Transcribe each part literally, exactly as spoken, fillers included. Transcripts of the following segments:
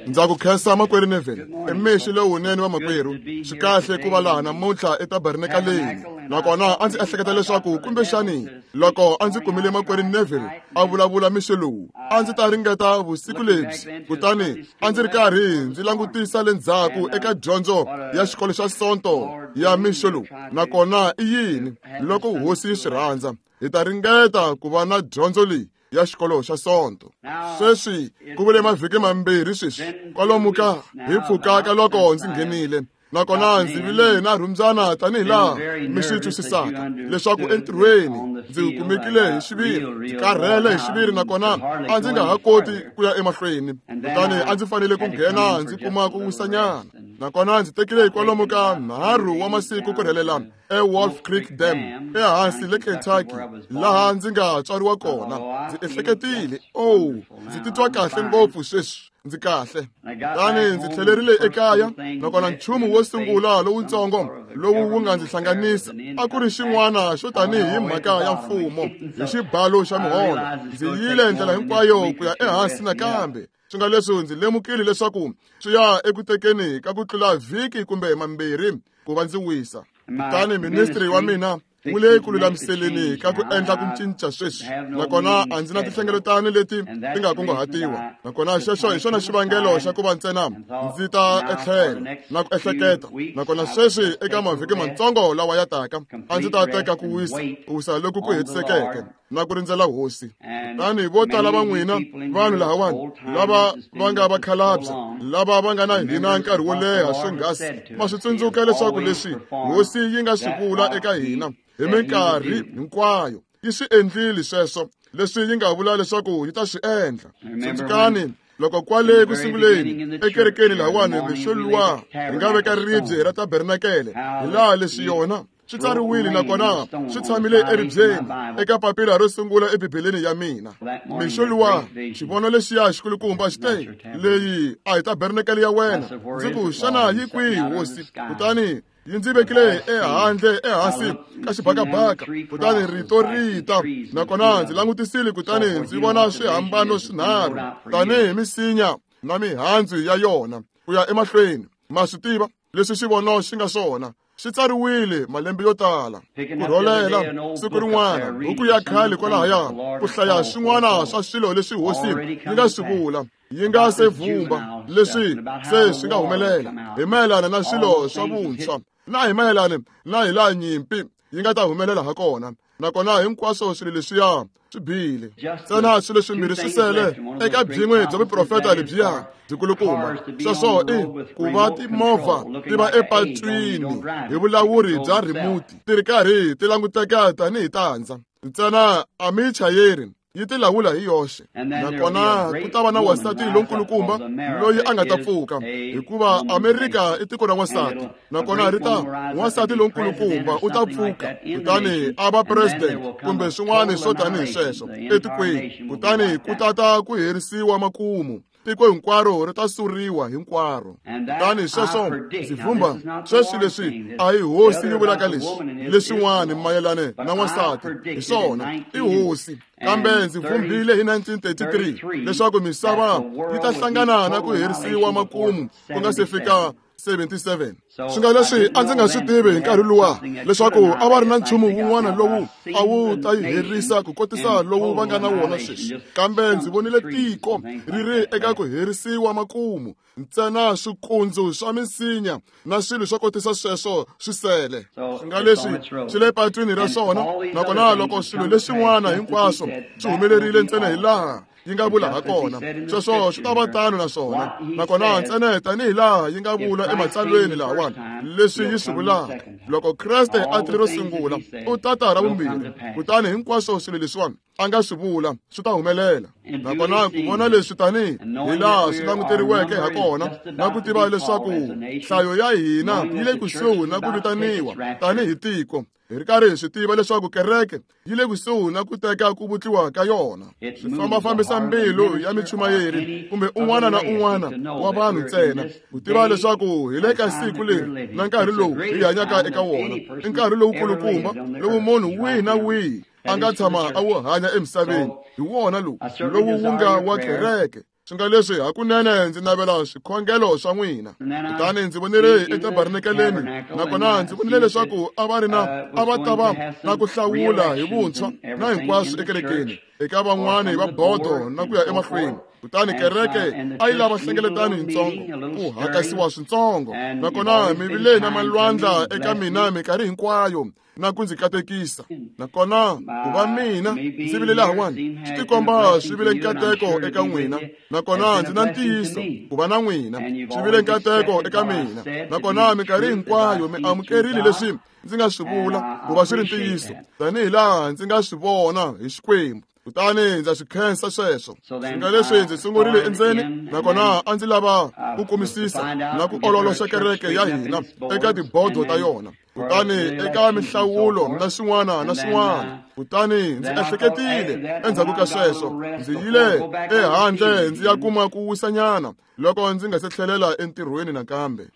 Ndza ku khensa makwerhu Neville, i mixo lowunene wa makwerhu. Swi kahle ku va laha namuntlha etabernakaleni. Nakona a ndzi ehleketa leswaku kumbexani loko a ndzi kumile makwerhu Neville a vulavula mixo lowu, a ndzi ta ringeta vusiku lebyi. Kutani a ndzi ri karhi ndzi langutisa le ndzhaku eka dyondzo ya xikolo xa Sonto ya mixo lowu. Nakona i yini loko hosi yi swi rhandza, hi ta ringeta ku va na dyondzo leyi ya xikolo xa Sonto. Sweswi ku vule mavhiki mambirhi sweswi kwalomu ka hi pfuka ka loko ndzi nghenile. Nakona ndzi vile na rhumbyana tanihi laha mi swi twisisaka leswaku entirhweni ndzi kumekile hi xiviri, ndzi karhele hi xiviri, nakona a ndzi nga ha koti ku ya emahlweni. Kutani a ndzi fanele ku nghena ndzi kuma ku wisanyana. Nakona ndzi tekile kwalomu ka nharhu wa masiku ku rhelela eWolf Creek Dam ehansi le Kentucky, laha ndzi nga tswariwa kona. Ndzi ehleketile, oh, ndzi titwa kahle ngopfu sweswi, ndzi kahle. Kutani ndzi tlhelerile ekaya, nakona nchumu wo sungula lowutsongo lowu wu nga ndzi hlanganisa a ku ri xin'wana xo tanihi mhaka ya mfumo hi xibalo xa miholo. Ndzi yile ndlela hinkwayo ku ya ehansi nakambe. Swi nga leswi ndzi lemukile leswaku swi ya eku tekeni ka ku tlula vhiki kumbe mambirhi ku va ndzi wisa. Kutani ministry wa mina wu le ku lulamiseleni ka ku endla ku cinca sweswi, nakona a ndzi na tinhlengeletano leti ti nga kunguhatiwa. Nakona xexo hi xona xivangelo xa ku va ntsena ndzi ta etlhelo na ku ehleketa. Nakona sweswi eka mavhiki matsongo lawa ya taka a ndzi ta teka ku wisa, ku wisa loku ku hetisekeke na ku rindzela hosi. Kutani vo tala va n'wina vanhu lahawani lava va nga vakhalabye, lava va nga na hina nkarhi wo leha swonghasi, ma swi tsundzuka leswaku leswi hosi yi nga swi vula eka hina hi minkarhi hinkwayo yi swi endlile sweswo leswi yi nga vula leswaku yi ta swi endla. Tsundzukani loko kwale ku sunguleni ekerekeni lahawani mixo luwa hi nga veka ribye ra tabernakele, hi laha leswi yona swi tsariwile nakona swi tshamile eribyeni eka papila ro sungula ebibeleni ya mina. Mixo luwa xivono lexiya xikulukumba xi te, leyi a hi tabernakele ya wena. Ndzi ku, xana yi kwihi hosi? Kutani yi ndzi vekile ehandle ehansi ka xibakabaka. Kutani rito ri ta, nakona ndzi langutisile, kutani ndzi vona swihambano swinharhu tanihi misinya na mihandzu ya yona ku ya emahlweni. Ma swi tiva leswi xivono xi nga swona, swi tsariwile malembe yo tala. Ku rholela siku rin'wana buku ya khale kwalahaya ku hlaya swin'wana swa swilo leswi hosi yi nga swi vula yi nga se vumba leswi se swi nga humelela hi mayelana na swilo swa vuntshwa na hi mayelana na hi laha nyimpi yi nga ta humelela ha kona. Nakona hinkwaswo swilo leswiya swi bile ntsena swilo swimbirhi swi sele eka byin'we bya vuprofeta lebyiya byikulukumba. Sweswo i ku va timovha ti va epatwini hi vulawuri bya remote ti ri karhi ti languteka tanihi tandza, ntsena a mi chayeri yi ti lawula hi yoxe. Nakona ku ta va na wansati lonkulukumba loyi a nga ta pfuka, hikuva Amerika i tiko ra wansati. Nakona ri ta wansati lonkulukumba u ta pfuka kutani a va president kumbe swin'wana swo tanihi sweswo etikweni. Kutani ku ta ta ku herisiwa makumu, tiko hinkwaro ri ta suriwa hinkwaro. Kutani sweswo ndzi vhumba sweswi leswi a hi hosi yi vulaka leswi leswin'wana mayelana na wansati, hi swona i hosi. Kambe ndzi vhumbile hi nineteen thirty-three leswaku misava yi ta hlangana na ku herisiwa makumu ku nga se fika seventy-seven. Swi nga leswi a ndzi nga swi tivi hi nkarhi luwa leswaku a va ri na nchumu wun'wana lowu a wu ta yi herisa ku kotisa lowu va nga na wona sweswi. Kambe ndzi vonile tiko ri ri eka ku herisiwa makumu, ntsena swikundzu swa misinya na swilo swo kotisa sweswo swi sele. Swi nga leswi swi le patwini ra swona. Nakona loko swilo leswin'wana hinkwaswo swi humelerile ntsena hi laha yi nga vula ha kona, sweswo swi ta va tano na swona. Nakona ntsena tanihi laha yi nga vula ematsalweni lahawani leswi yi swi vulaka, loko Kreste a tile ro sungula u ta ta ra vumbirhi, kutani hinkwaswo swilo leswiwani a nga swi vula swi ta humelela. Nakona ku vona leswi tanihi hi laha swi languteriweke ha kona, na ku tiva leswaku nhlayo ya hina yi le kusuhi na ku vitaniwa tanihi tiko, hi ri karhi hi swi tiva leswaku kereke yi le kusuhi na ku teka ku vutliwa ka yona. Swi fambafambisa mbilu ya michumayeri kumbe un'wana na un'wana wa vanhu ntsena ku tiva leswaku hi le ka siku leri na nkarhi lowu hi hanyaka eka wona, i nkarhi lowukulukumba lowu munhu wihi na wihi a nga tshama a wu hanya emisaveni. Hi wona lowu lowu wu nga wa kereke. Swi nga leswi hakunene ndzi navela swikhongelo swa n'wina. Kutani ndzi vonile etabernakeleni, nakona ndzi vonile leswaku a va ri na a va ta va na ku hlawula hi vuntshwa na hinkwaswo ekerekeni, eka van'wani va bodo na ku ya emahlweni. Kutani kereke a yi lava hlengeletano yintsongo, ku hakasiwa swintsongo. Nakona mi vile na malwandla eka mina minkarhi hinkwayo na ku ndzi katekisa. Nakona ku va mina ndzi vile lahawani swi tikomba swi vile nkateko eka n'wina. Nakona ndzi na ntiyiso ku va na n'wina swi vile nkateko eka mina. Nakona minkarhi hinkwayo mi amukerile leswi ndzi nga swi vula ku va swi ri ntiyiso, tanihi laha ndzi nga swi vona hi Xikwembu. Kutani ndza swi khensa sweswo. Swi nga leswi ndzi sungurile endzeni, nakona a ndzi lava ku kumisisa na ku ololoxa kereke ya hina eka tibodo ta yona, kutani eka minhlawulo na swin'wana na swin'wana. Kutani ndzi ehleketile endzhaku ka sweswo, ndzi yile ehandle ndzi ya kuma ku wisanyana loko ndzi nga se tlhelela entirhweni nakambe.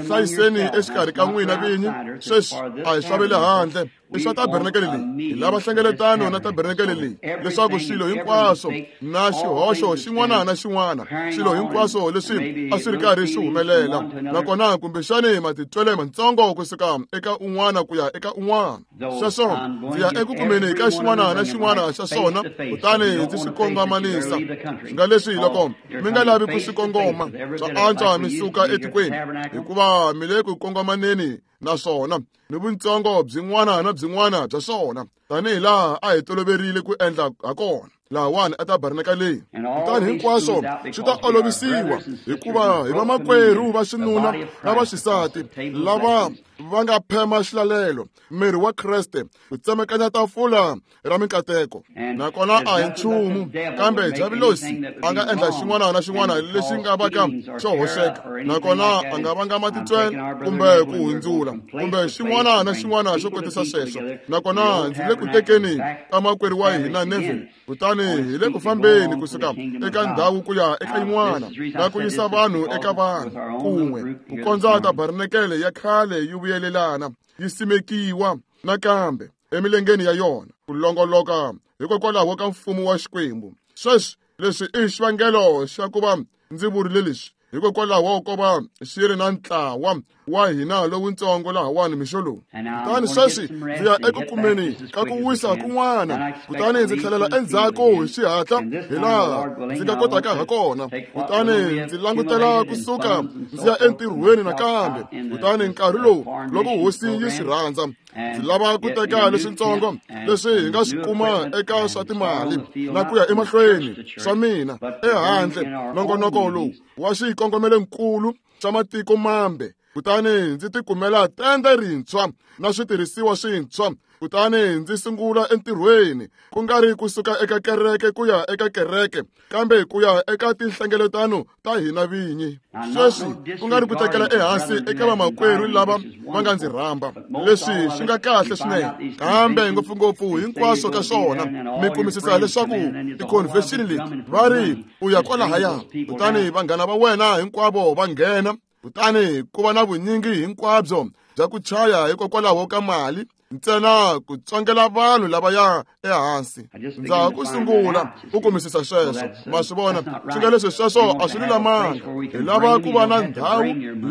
Hlayiseni exikarhi ka n'wina vinyi. Sweswi a hi swa ve le handle, i swa tabernakele leyi. Hi lava hlengeletano na tabernakele leyi, leswaku swilo hinkwaswo na xihoxo xin'wana na xin'wana, swilo hinkwaswo leswi a swi ri karhi swi humelela, nakona kumbexani matitwele mantsongo kusuka eka un'wana ku ya eka un'wana. Sweswo ndzi ya eku kumeni ka xin'wana na xin'wana xa swona, kutani ndzi swi kongomanisa. Swi nga leswi loko mi nga lavi ku swi kongoma, swa antswa mi suka etikweni, hikuva mi le ku kongomaneni na swona ni vuntsongo byin'wana na byin'wana bya swona, tanihi laha a hi toloverile ku endla hakona lahawani etabernakeleni. Kutani hinkwaswo swi ta olovisiwa, hikuva hi vamakwerhu va xinuna na va xisati lava va nga phema xilalelo, miri wa Kreste, ku tsemekanya tafula ra minkateko. Nakona a hi nchumu kambe Diavulosi a nga endla xin'wana na xin'wana lexi nga va ka xo hoxeka, nakona a nga vanga matitwelo kumbe ku hundzula kumbe xin'wana na xin'wana xo kotisa sweswo. Nakona ndzi le ku tekeni ka makwerhu wa hina Neville, kutani hi le ku fambeni kusuka eka ndhawu ku ya eka yin'wana na ku yisa vanhu eka vanhu kun'we, ku kondza tabernakele ya khale yi vuyelelana, yi simekiwa nakambe emilengeni ya yona, ku longoloka hikokwalaho ka mfumo wa Xikwembu. Sweswi leswi i xivangelo xa ku va ndzi vurile leswi, hikokwalaho ko va xi ri na ntlawa wa hina lowuntsongo lahawani mixo lowu. Kutani sweswi ndzi ya eku kumeni ka ku wisa kun'wana, kutani ndzi tlhelela endzhaku hi xihatla hi laha ndzi nga kotaka hakona. Kutani ndzi langutela kusuka ndzi ya entirhweni nakambe. Kutani nkarhi lowu loko hosi yi swi rhandza, ndzi lava ku teka leswintsongo leswi hi nga swi kuma eka swa timali na ku ya emahlweni swa mina ehandle nongonoko lowu wa xikongomelonkulu xa matiko mambe. Kutani ndzi tikumela tende rintshwa na switirhisiwa swintshwa, kutani ndzi sungula entirhweni, ku nga ri kusuka eka kereke ku ya eka kereke, kambe ku ya eka tinhlengeletano ta hina vinyi. Sweswi ku nga ri ku tekela ehansi eka vamakwerhu lava va nga ndzi rhamba, leswi swi nga kahle swinene, kambe ngopfungopfu hinkwaswo ka swona mi kumisisa leswaku ti-convention leti va ri u ya kwalahaya, kutani vanghana va wena hinkwavo va nghena, kutani ku va na vunyingi hinkwabyo bya ku chaya hikokwalaho ka mali ntsena ku tsongela vanhu lava ya ehansi. Ndza ha ku sungula ku kumisisa sweswo, ma swi vona. Swi nga leswi sweswo a swi lulamanga. Hi lava ku va na ndhawu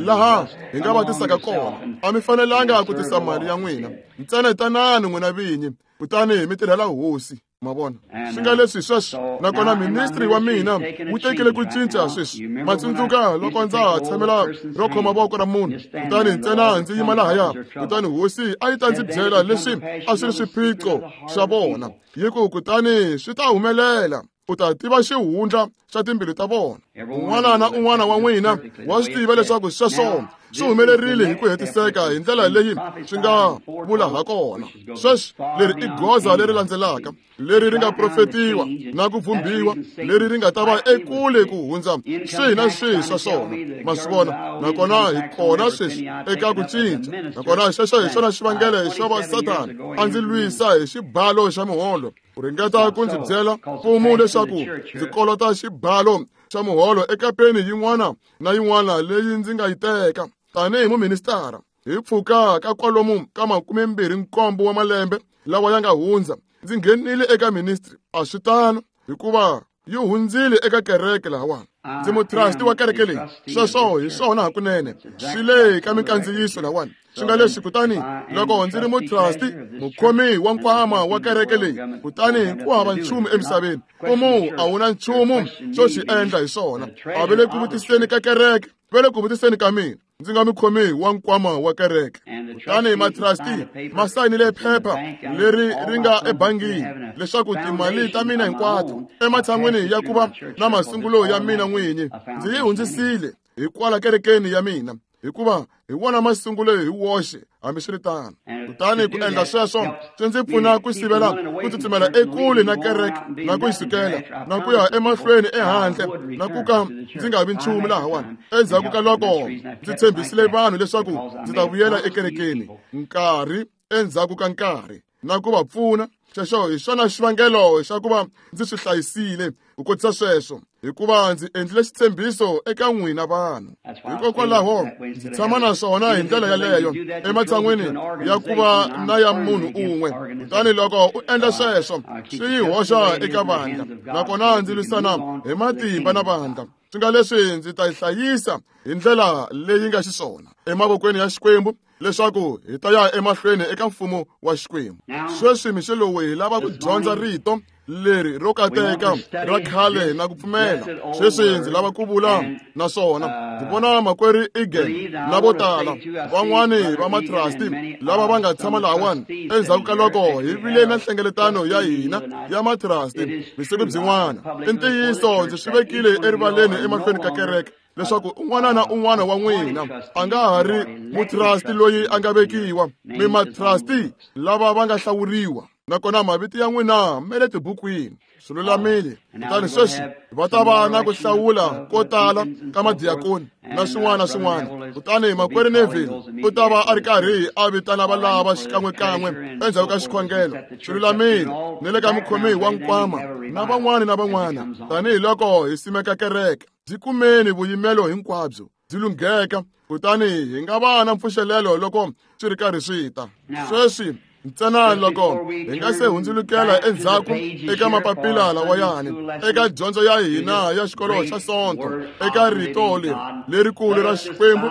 laha hi nga va tisaka kona. A mi fanelanga ku tisa mali ya n'wina ntsena, tanani n'wina vinyi, kutani mi tirhela hosi. Ma vona swi nga leswi sweswo. Nakona ministry wa mina wu tekile ku cinca sweswi. Ma tsundzuka loko ndza ha tshamela ro khoma voko ra munhu, kutani ntsena ndzi yima lahaya, kutani hosi a yi ta ndzi byela leswi a swi ri swiphiqo swa vona, yi ku kutani swi ta humelela, u ta tiva xihundla xa timbilu ta vona. Un'wana na un'wana wa n'wina wa swi tiva leswaku sweswo swi humelerile hi ku hetiseka hi ndlela leyi swi nga vula hakona. Sweswi leri i goza leri landzelaka, leri ri nga profetiwa na ku vhumbiwa, leri ri nga ta va ekule ku hundza swihi na swihi swa swona. Ma swi vona? Nakona hi kona sweswi eka ku cinca. Nakona xexo hi xona xivangelo xo va Sathana a ndzi lwisa hi xibalo xa muholo, ku ringeta ku ndzi byela mfumo leswaku ndzi kolota xibalo xa muholo eka peni yin'wana na yin'wana leyi ndzi nga yi teka tanihi muministara. Hi pfuka ka kwalomu ka makumembirhi nkombo wa malembe lawa ya nga hundza, ndzi nghenile eka ministry. A swi tano, hikuva Yi hundzile eka kereke lahawani. Ndzi mutrasti wa kereke leyi. Sweswo hi swona hakunene. Swi le ka minkandziyiso lahawani. Swi nga leswi kutani loko ndzi ri mutrasti, mukhomi wa nkwama wa kereke leyi, kutani ku hava nchumu emisaveni. Mfumo a wu na nchumu xo xi endla hi swona. A va le ku vutiseni ka kereke, va le ku vutiseni ka mina. Ndzi nga mukhomi wa nkwama wa kereke. Kutani matrasti ma sayinile phepha leri ri nga ebangini leswaku timali ta mina hinkwato ematshan'wini ya ku va na masungulo ya mina n'winyi ndzi yi hundzisile hikwala kerekeni ya mina, hikuva hi wona masungulo hi woxe hambiswiritano. Kutani ku endla sweswo swi ndzi pfuna ku sivela ku tsutsumela ekule na kereke na ku yi sukela na ku ya emahlweni ehandle na ku ka ndzi nga vi nchumu lahawani. Endzhaku ka loko ndzi tshembisile vanhu leswaku ndzi ta vuyela ekerekeni nkarhi endzhaku ka nkarhi na ku va pfuna, xexo hi xona xivangelo xa ku va ndzi swi hlayisile ku kotisa sweswo, hikuva ndzi endlile xitshembiso eka n'wina vanhu. Hikokwalaho ndzi tshama na swona hi ndlela yaleyo ematshan'wini ya ku va na ya munhu un'we. Kutani loko u endla sweswo swi yi hoxa eka vandla, nakona ndzi lwisana hi matimba na vandla. Swi nga leswi ndzi ta yi hlayisa hi ndlela leyi nga xiswona emavokweni ya Xikwembu leswaku hi ta ya emahlweni eka mfumo wa Xikwembu. Sweswi mixo lowu hi lava ku dyondza rito leri ro kateka ra khale na ku pfumela. Sweswi ndzi lava ku vula naswona ndzi vona makwerhu Egan na vo tala van'wani va matrasti lava va nga tshama lahawani endzhaku ka loko hi vile na nhlengeletano ya hina ya matrasti vusiku byin'wana. I ntiyiso ndzi swi vekile erivaleni emahlweni ka kereke leswaku un'wana na un'wana wa n'wina a nga ha ri mutrasti loyi a nga vekiwa, mi matrasti lava va nga hlawuriwa, nakona mavito ya n'wina ma le tibukwini. Swi lulamile. Kutani sweswi va ta va na ku hlawula ko tala ka madiyakoni na swin'wana na swin'wana. Kutani makwerhu Neville u ta va a ri karhi a vitana valava xikan'wekan'we endzhaku ka xikhongelo. Swi lulamile. Ni le ka mukhomi wa nkwama na van'wana na van'wana, tanihiloko hi simeka kereke, byi kumeni vuyimelo hinkwabyo byi lungheka, kutani hi nga va na mpfuxelelo loko swi ri karhi swi ta. Sweswi ntsena loko hi nga se hundzulukela endzhaku eka mapapila lawayani eka dyondzo ya hina ya xikolo xa Sonto, eka rito leri lerikulu ra Xikwembu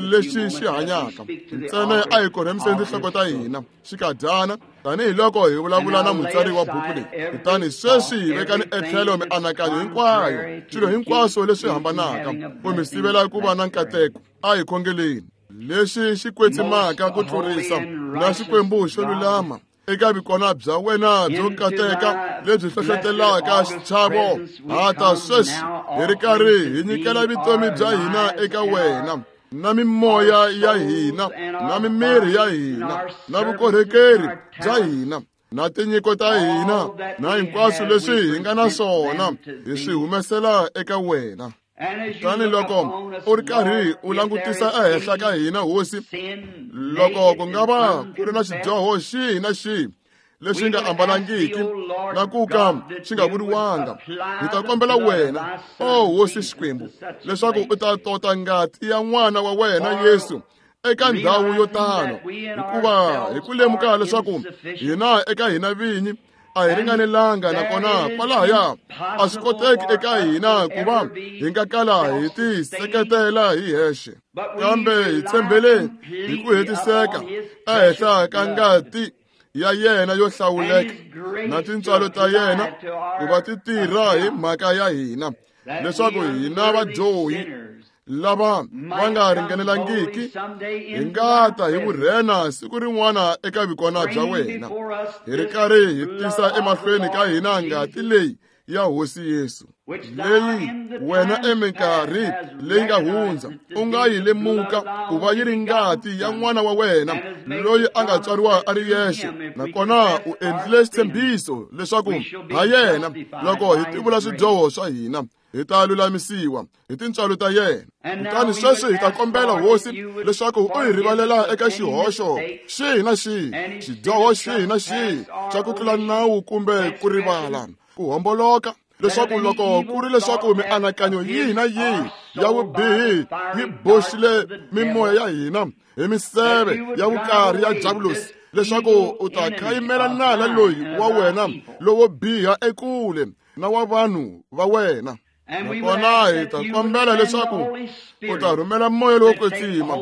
lexi xi hanyaka, ntsena a hi korhemiseni tinhloko ta hina xikadyana tanihiloko hi vulavula na mutsari wa buku leyi. Kutani sweswi hi vekani etlhelo mianakanyo hinkwayo, swilo hinkwaswo leswi hambanaka ku mi sivela ku va na nkateko. A hi khongeleni lexi xi kwetsimaka ku tlurisa na Xikwembu xo lulama eka vikona bya wena byo kateka lebyi hlohlotelaka xichavo. Hata sweswi hi ri karhi hi nyikela vutomi bya hina eka wena, na mimoya ya hina na mimiri ya hina na vukorhokeri bya hina na tinyiko ta hina na hinkwaswo leswi hi nga na swona hi swi humesela eka wena. Kutani loko u ri karhi u langutisa ehenhla ka hina Hosi, loko ku nga va ku ri na xidyoho xihi na xihi lexi nga ambalangiki na ku ka xi nga vuriwanga, hi ta kombela wena, o Hosi Xikwembu, leswaku u ta tota ngati ya n'wana wa wena Yesu eka ndhawu yo tano, hikuva hi ku lemuka leswaku hina eka hina vinyi a hi ringanelanga, nakona kwalahaya a swi koteki eka hina ku va hi nga kala hi ti seketela hi hexe, kambe hi tshembele hi ku hetiseka ehenhla ka ngati ya yena yo hlawuleka na tintswalo ta yena ku va ti tirha hi mhaka ya hina, leswaku hina vadyohi lava va nga ringanelangiki hi nga ta hi vurhena siku rin'wana eka vikona bya wena, hi ri karhi hi tisa emahlweni ka hina ngati leyi ya Hosi Yesu, leyi wena eminkarhi leyi nga hundza u nga yi lemuka ku va yi ri ngati ya n'wana wa wena loyi a nga tswariwa a ri yexe, nakona u endlile xitshembiso leswaku ha yena loko hi tivula swidyoho swa hina hi ta lulamisiwa hi tintswalo ta yena. Kutani sweswi hi ta kombela Hosi leswaku u hi rivalela eka xihoxo xihi na xihi, xidyoho xihi na xihi xa ku tlula nawu kumbe ku rivala, ku homboloka, leswaku loko ku ri leswaku mianakanyo yihi na yihi ya vubihi yi boxile mimoya ya hina hi miseve ya vukarhi ya Diabulosi, leswaku u ta khayimela nala loyi wa wena lowo biha ekule na wa vanhu va wena. Nakona hi ta kombela leswaku u ta rhumela moya lowo kwetsima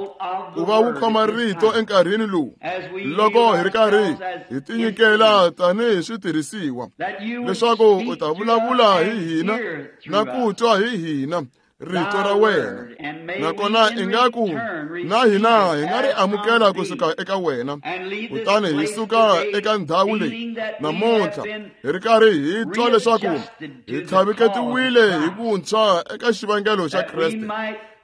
ku va wu khoma rito enkarhini lowu loko hi ri karhi hi tinyikela tanihi switirhisiwa, leswaku u ta vulavula hi hina na ku twa hi hina rito ra wena. Nakona ingaku na hina hi nga ri amukela kusuka eka wena, kutani hi suka eka ndhawu leyi namuntlha hi ri karhi hi twa leswaku hi tlhaviketiwile hi vuntshwa eka xivangelo xa Kreste,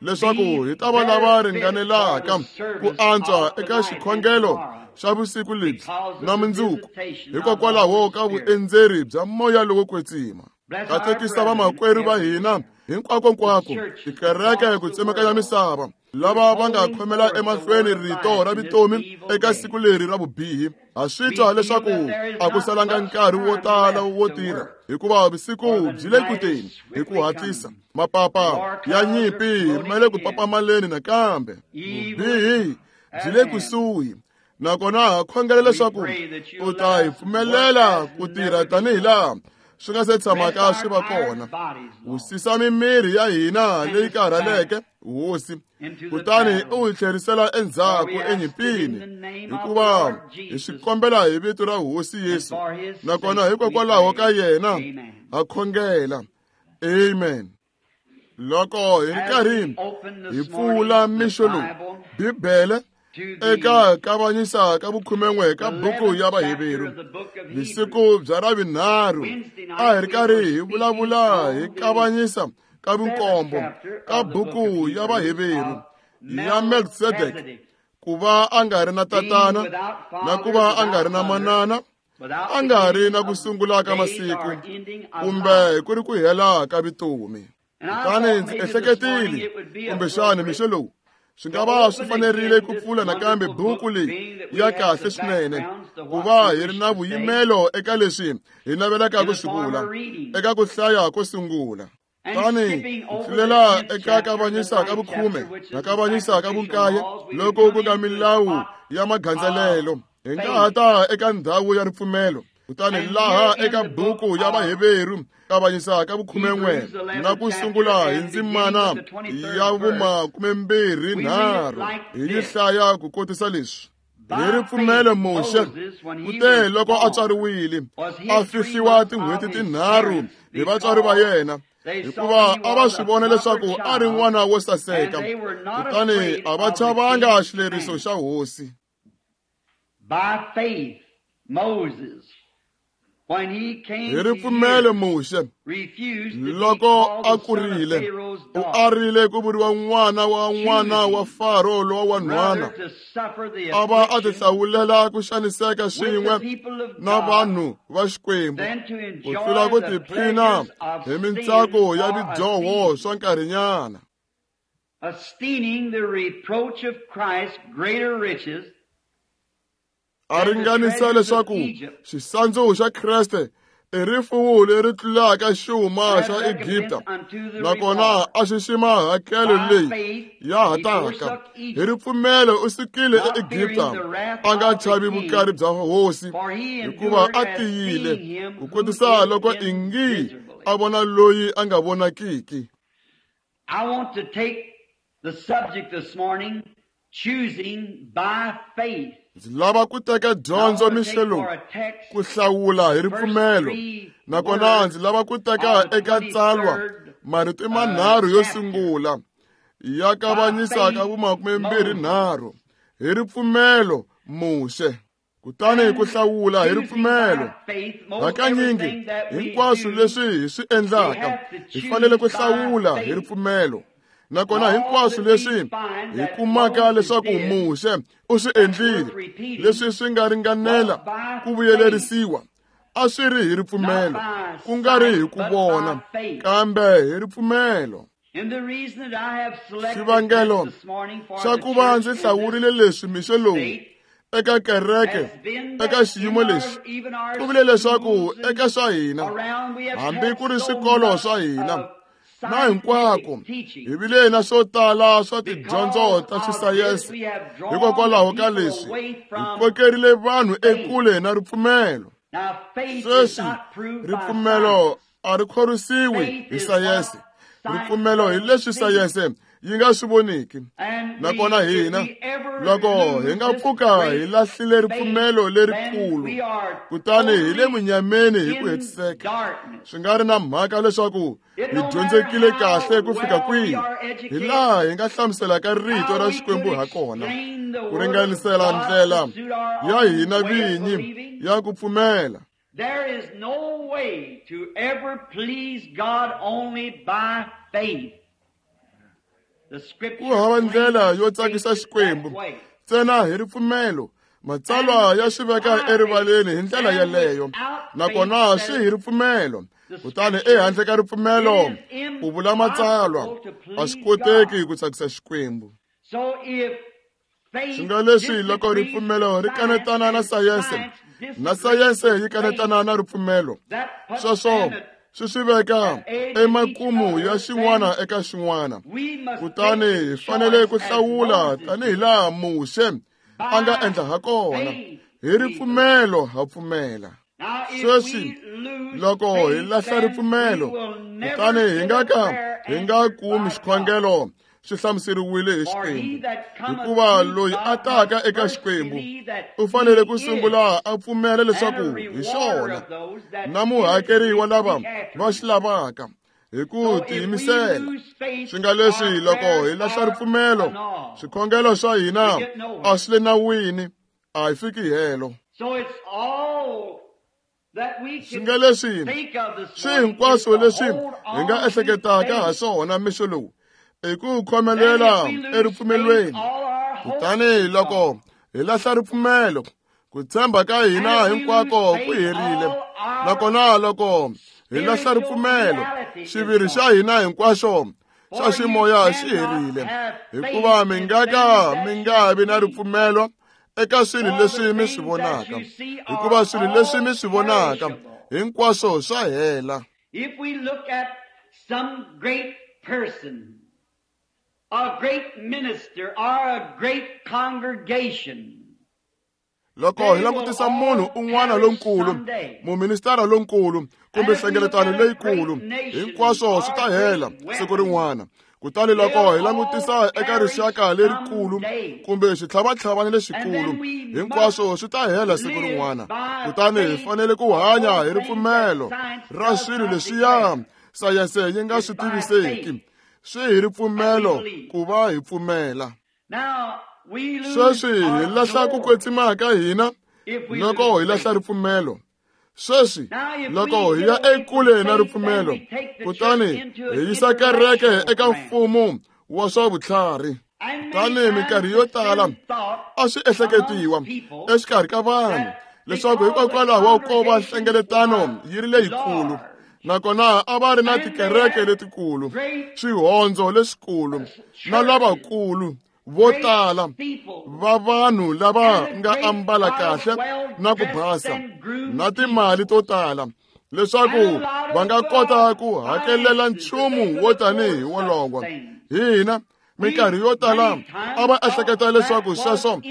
leswaku hi ta va lava ringanelaka ku antswa eka xikhongelo xa vusiku lebyi na mundzuku, hikokwalaho ka vuendzeri bya moya lowo kwetsima. Katekisa vamakwerhu va hina hinkwakonkwako, tikereke ku tsemakanya misava, lava va nga khomela emahlweni rito ra vutomi eka siku leri ra vubihi. Ha swi twa leswaku a ku salanga nkarhi wo tala wo tirha, hikuva vusiku byi le ku teni hi ku hatlisa. Mapapa ya nyimpi ma le ku papamaleni nakambe, vubihi byi le kusuhi. Nakona ha khongela leswaku u ta hi pfumelela ku tirha tanihi laha swi nga se tshamaka swi va kona. Wisisa mimiri ya hina leyi karhaleke, Hosi, kutani u hi tlherisela endzhaku enyimpini, hikuva hi swi kombela hi vito ra Hosi Yesu, nakona hikokwalaho ka yena ha khongela. Amen. Loko hi ri karhi hi pfula mixo lowu Bibele eka kavanyisa ka vukhumen'we ka buku ya Vaheveru, vusiku bya Ravunharhu a hi ri karhi hi vulavula hi kavanyisa ka vunkombo ka buku ya Vaheveru ya Melkisedeke, ku va a nga ri na tatana na ku va a nga ri na manana, a nga ri na ku sungula ka masiku kumbe ku ri ku hela ka vutomi. Kutani ndzi ehleketile kumbexana mixo lowu swi nga va swi fanerile ku pfula nakambe buku leyi ya kahle swinene, ku va hi ri na vuyimelo eka leswi hi navelaka ku swi vula eka ku hlaya ko sungula. Tani hi tlulela eka kavanyisa ka vukhume na kavanyisa ka vunkaye loko ku nga milawu ya magandzelelo, hi nga ha ta eka ndhawu ya ripfumelo. Kutani laha eka buku ya Vaheveru kavanyisa ka vukhumen'we na ku sungula hi ndzimana ya vumakumembirhi nharhu hi yi hlaya ku kotisa leswi: Hi ripfumelo Muxe u te loko a tswariwile a fihliwa tin'hweti tinharhu hi vatswari va yena, hikuva a va swi vona leswaku a ri n'wana wo saseka, kutani a va chavanga xileriso xa hosi. By faith Moses, when he came Hi ripfumelo Muxe loko a kurile u arile ku vuriwa n'wana wa n'wana wa Faro lowa wanhwana, a va a tihlawulela ku xaniseka swin'we na vanhu va Xikwembu ku tlula ku tiphina hi mintsako ya vidyoho swa nkarhinyana. Esteeming the reproach of Christ greater riches, a ringanisa leswaku xisandzu xa Kreste i rifuwo leri tlulaka xuma xa Egipta, nakona a xixima hakelo leyi ya ha taka. Hi ripfumelo u sukile eEgipta a nga chavi vukari bya hosi, hikuva a tiyile ku kotisa loko ingi a vona loyi a nga vonakiki. I want to take the subject this morning, choosing by faith. Ndzi lava ku teka dyondzo mixo lowu ku hlawula hi ripfumelo, nakona ndzi lava ku teka eka tsalwa marito manharhu yo sungula ya kavanyisa ka vumakumembirhi nharhu hi ripfumelo Muxe. Kutani ku hlawula hi ripfumelo, hakanyingi hinkwaswo leswi hi swi endlaka hi fanele ku hlawula hi ripfumelo. Nakona hinkwaswo leswi hi kumaka leswaku Muxe u swi endlile leswi swi nga ringanela ku vuyelerisiwa a swi ri hi ripfumelo, ku nga ri hi ku vona, kambe hi ripfumelo. Xivangelo xa ku va ndzi hlawurile leswi mixo lowu eka kereke eka xiyimo lexi ku vule leswaku eka swa hina, hambi ku ri swikolo swa hina na hinkwako, hi vile na swo tala swa tidyondzo ta xisayense. Hikokwalaho ka leswi hi kokerile vanhu ekule na ripfumelo. Sweswi ripfumelo a ri khorwisiwi hi sayense. Ripfumelo hi leswi sayense yi nga swi voniki. Nakona hina loko hi nga pfuka hi lahlile ripfumelo lerikulu, kutani hi le munyameni hi ku hetiseka. Swi nga ri na mhaka leswaku hi dyondzekile kahle ku fika kwihi, hi laha hi nga hlamuselaka rito ra Xikwembu ha kona, ku ringanisela ndlela ya hina vinyi ya ku pfumela. There is no way to ever please God only by faith. Ku hava ndlela yo tsakisa Xikwembu ntsena hi ripfumelo. Matsalwa ya swi veka erivaleni hi ndlela yeleyo, nakona swi hi ripfumelo. Kutani ehandle ka ripfumelo, ku vula matsalwa, a swi koteki ku tsakisa Xikwembu. Swi nga leswi loko ripfumelo ri kanetana na sayense, na sayense yi kanetana na ripfumelo, sweswo swi swi veka emakumu ya xin'wana eka xin'wana. Kutani hi fanele ku hlawula tanihi laha Muxe a nga endla ha kona. Hi ripfumelo ha pfumela. Sweswi loko hi lahla ripfumelo, kutani hi nga ka hi nga kumi xikhongelo xi hlamuseriwile hi Xikwembu. Hikuva loyi a taka eka Xikwembu u fanele ku sungula a pfumela leswaku hi xona, na muhakeri wa lava va xi lavaka hi ku tiyimisela. Swi nga leswi loko hi lahla ripfumelo, swikhongelo swa hina a swi le nawini, a hi fiki helo. Swi nga leswi swi hinkwaswo leswi hi nga ehleketaka ha swona mixo lowu i ku khomelela eripfumelweni. Kutani loko hi lahla ripfumelo, ku tshemba ka hina hinkwako ku herile. Nakona loko hi lahla ripfumelo, xiviri xa hina hinkwaxo xa ximoya xi herile. Hikuva mi nga ka mi nga vi na ripfumelo eka swilo leswi mi swi vonaka, hikuva swilo leswi mi swi vonaka hinkwaswo swa hela. If we look at some great person, a great minister, or a great congregation, loko hi langutisa munhu un'wana lonkulu, muministara lonkulu, kumbe nhlengeletano leyikulu, hinkwaswo swi ta hela siku rin'wana. Kutani loko hi langutisa eka rixaka lerikulu kumbe xitlhavatlhavana lexikulu, hinkwaswo swi ta hela siku rin'wana. Kutani hi fanele ku hanya hi ripfumelo ra swilo leswiya sayense yi nga swi tiviseki. Swi hi ripfumelo ku va hi pfumela. Sweswi hi lahla ku kwetsima ka hina loko hi lahla ripfumelo. Sweswi loko hi ya ekule na ripfumelo, kutani hi yisa kereke eka mfumo wa swa vutlhari. Kutani minkarhi yo tala a swi ehleketiwa exikarhi ka vanhu leswaku hikokwalaho ko va nhlengeletano yi ri leyikulu, nakona a va ri na tikereke letikulu, swihondzo leswikulu, na lavakulu vo tala va vanhu lava nga ambala kahle na ku basa na timali to tala, leswaku va nga kota ku hakelela nchumu wo tanihi wolowo. Hina minkarhi yo tala a va ehleketa leswaku sweswo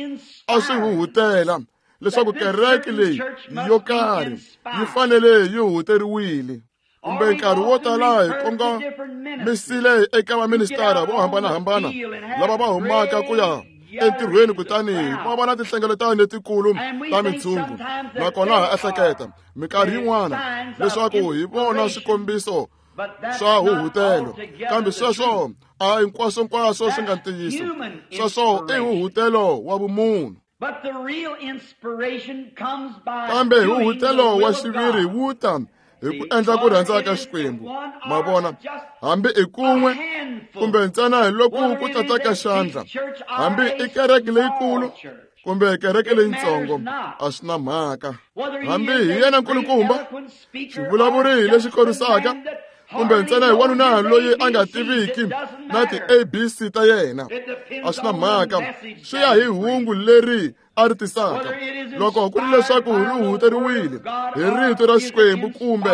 a swi huhutela, leswaku kereke leyi yo karhi yi fanele yi huhuteriwile. Kumbe nkarhi wo tala hi kongomisile eka vaministara vo hambanahambana lava va humaka ku ya entirhweni, kutani va va na tinhlengeletano letikulu ta mintshungu. Nakona ha ehleketa minkarhi yin'wana leswaku hi vona swikombiso swa huhutelo, kambe sweswo a hinkwaswonkwaswo swi nga ntiyiso. Sweswo i huhutelo wa vumunhu. Kambe huhutelo wa xiviri wu ta hi ku endla ku rhandza ka Xikwembu. Ma vona, hambi i kun'we kumbe ntsena hi loko ku tata ka xandla, hambi i kereke leyikulu kumbe kereke leyitsongo, a swi na mhaka. Hambi hi yena nkulukumba xivulavuri lexi khorisaka, kumbe ntsena hi wanuna loyi a nga tiviki na ti-A B C ta yena, a swi na mhaka. Swi ya hi hungu leri a ri tisaka. Loko ku ri leswaku ri huhuteriwile hi rito ra Xikwembu kumbe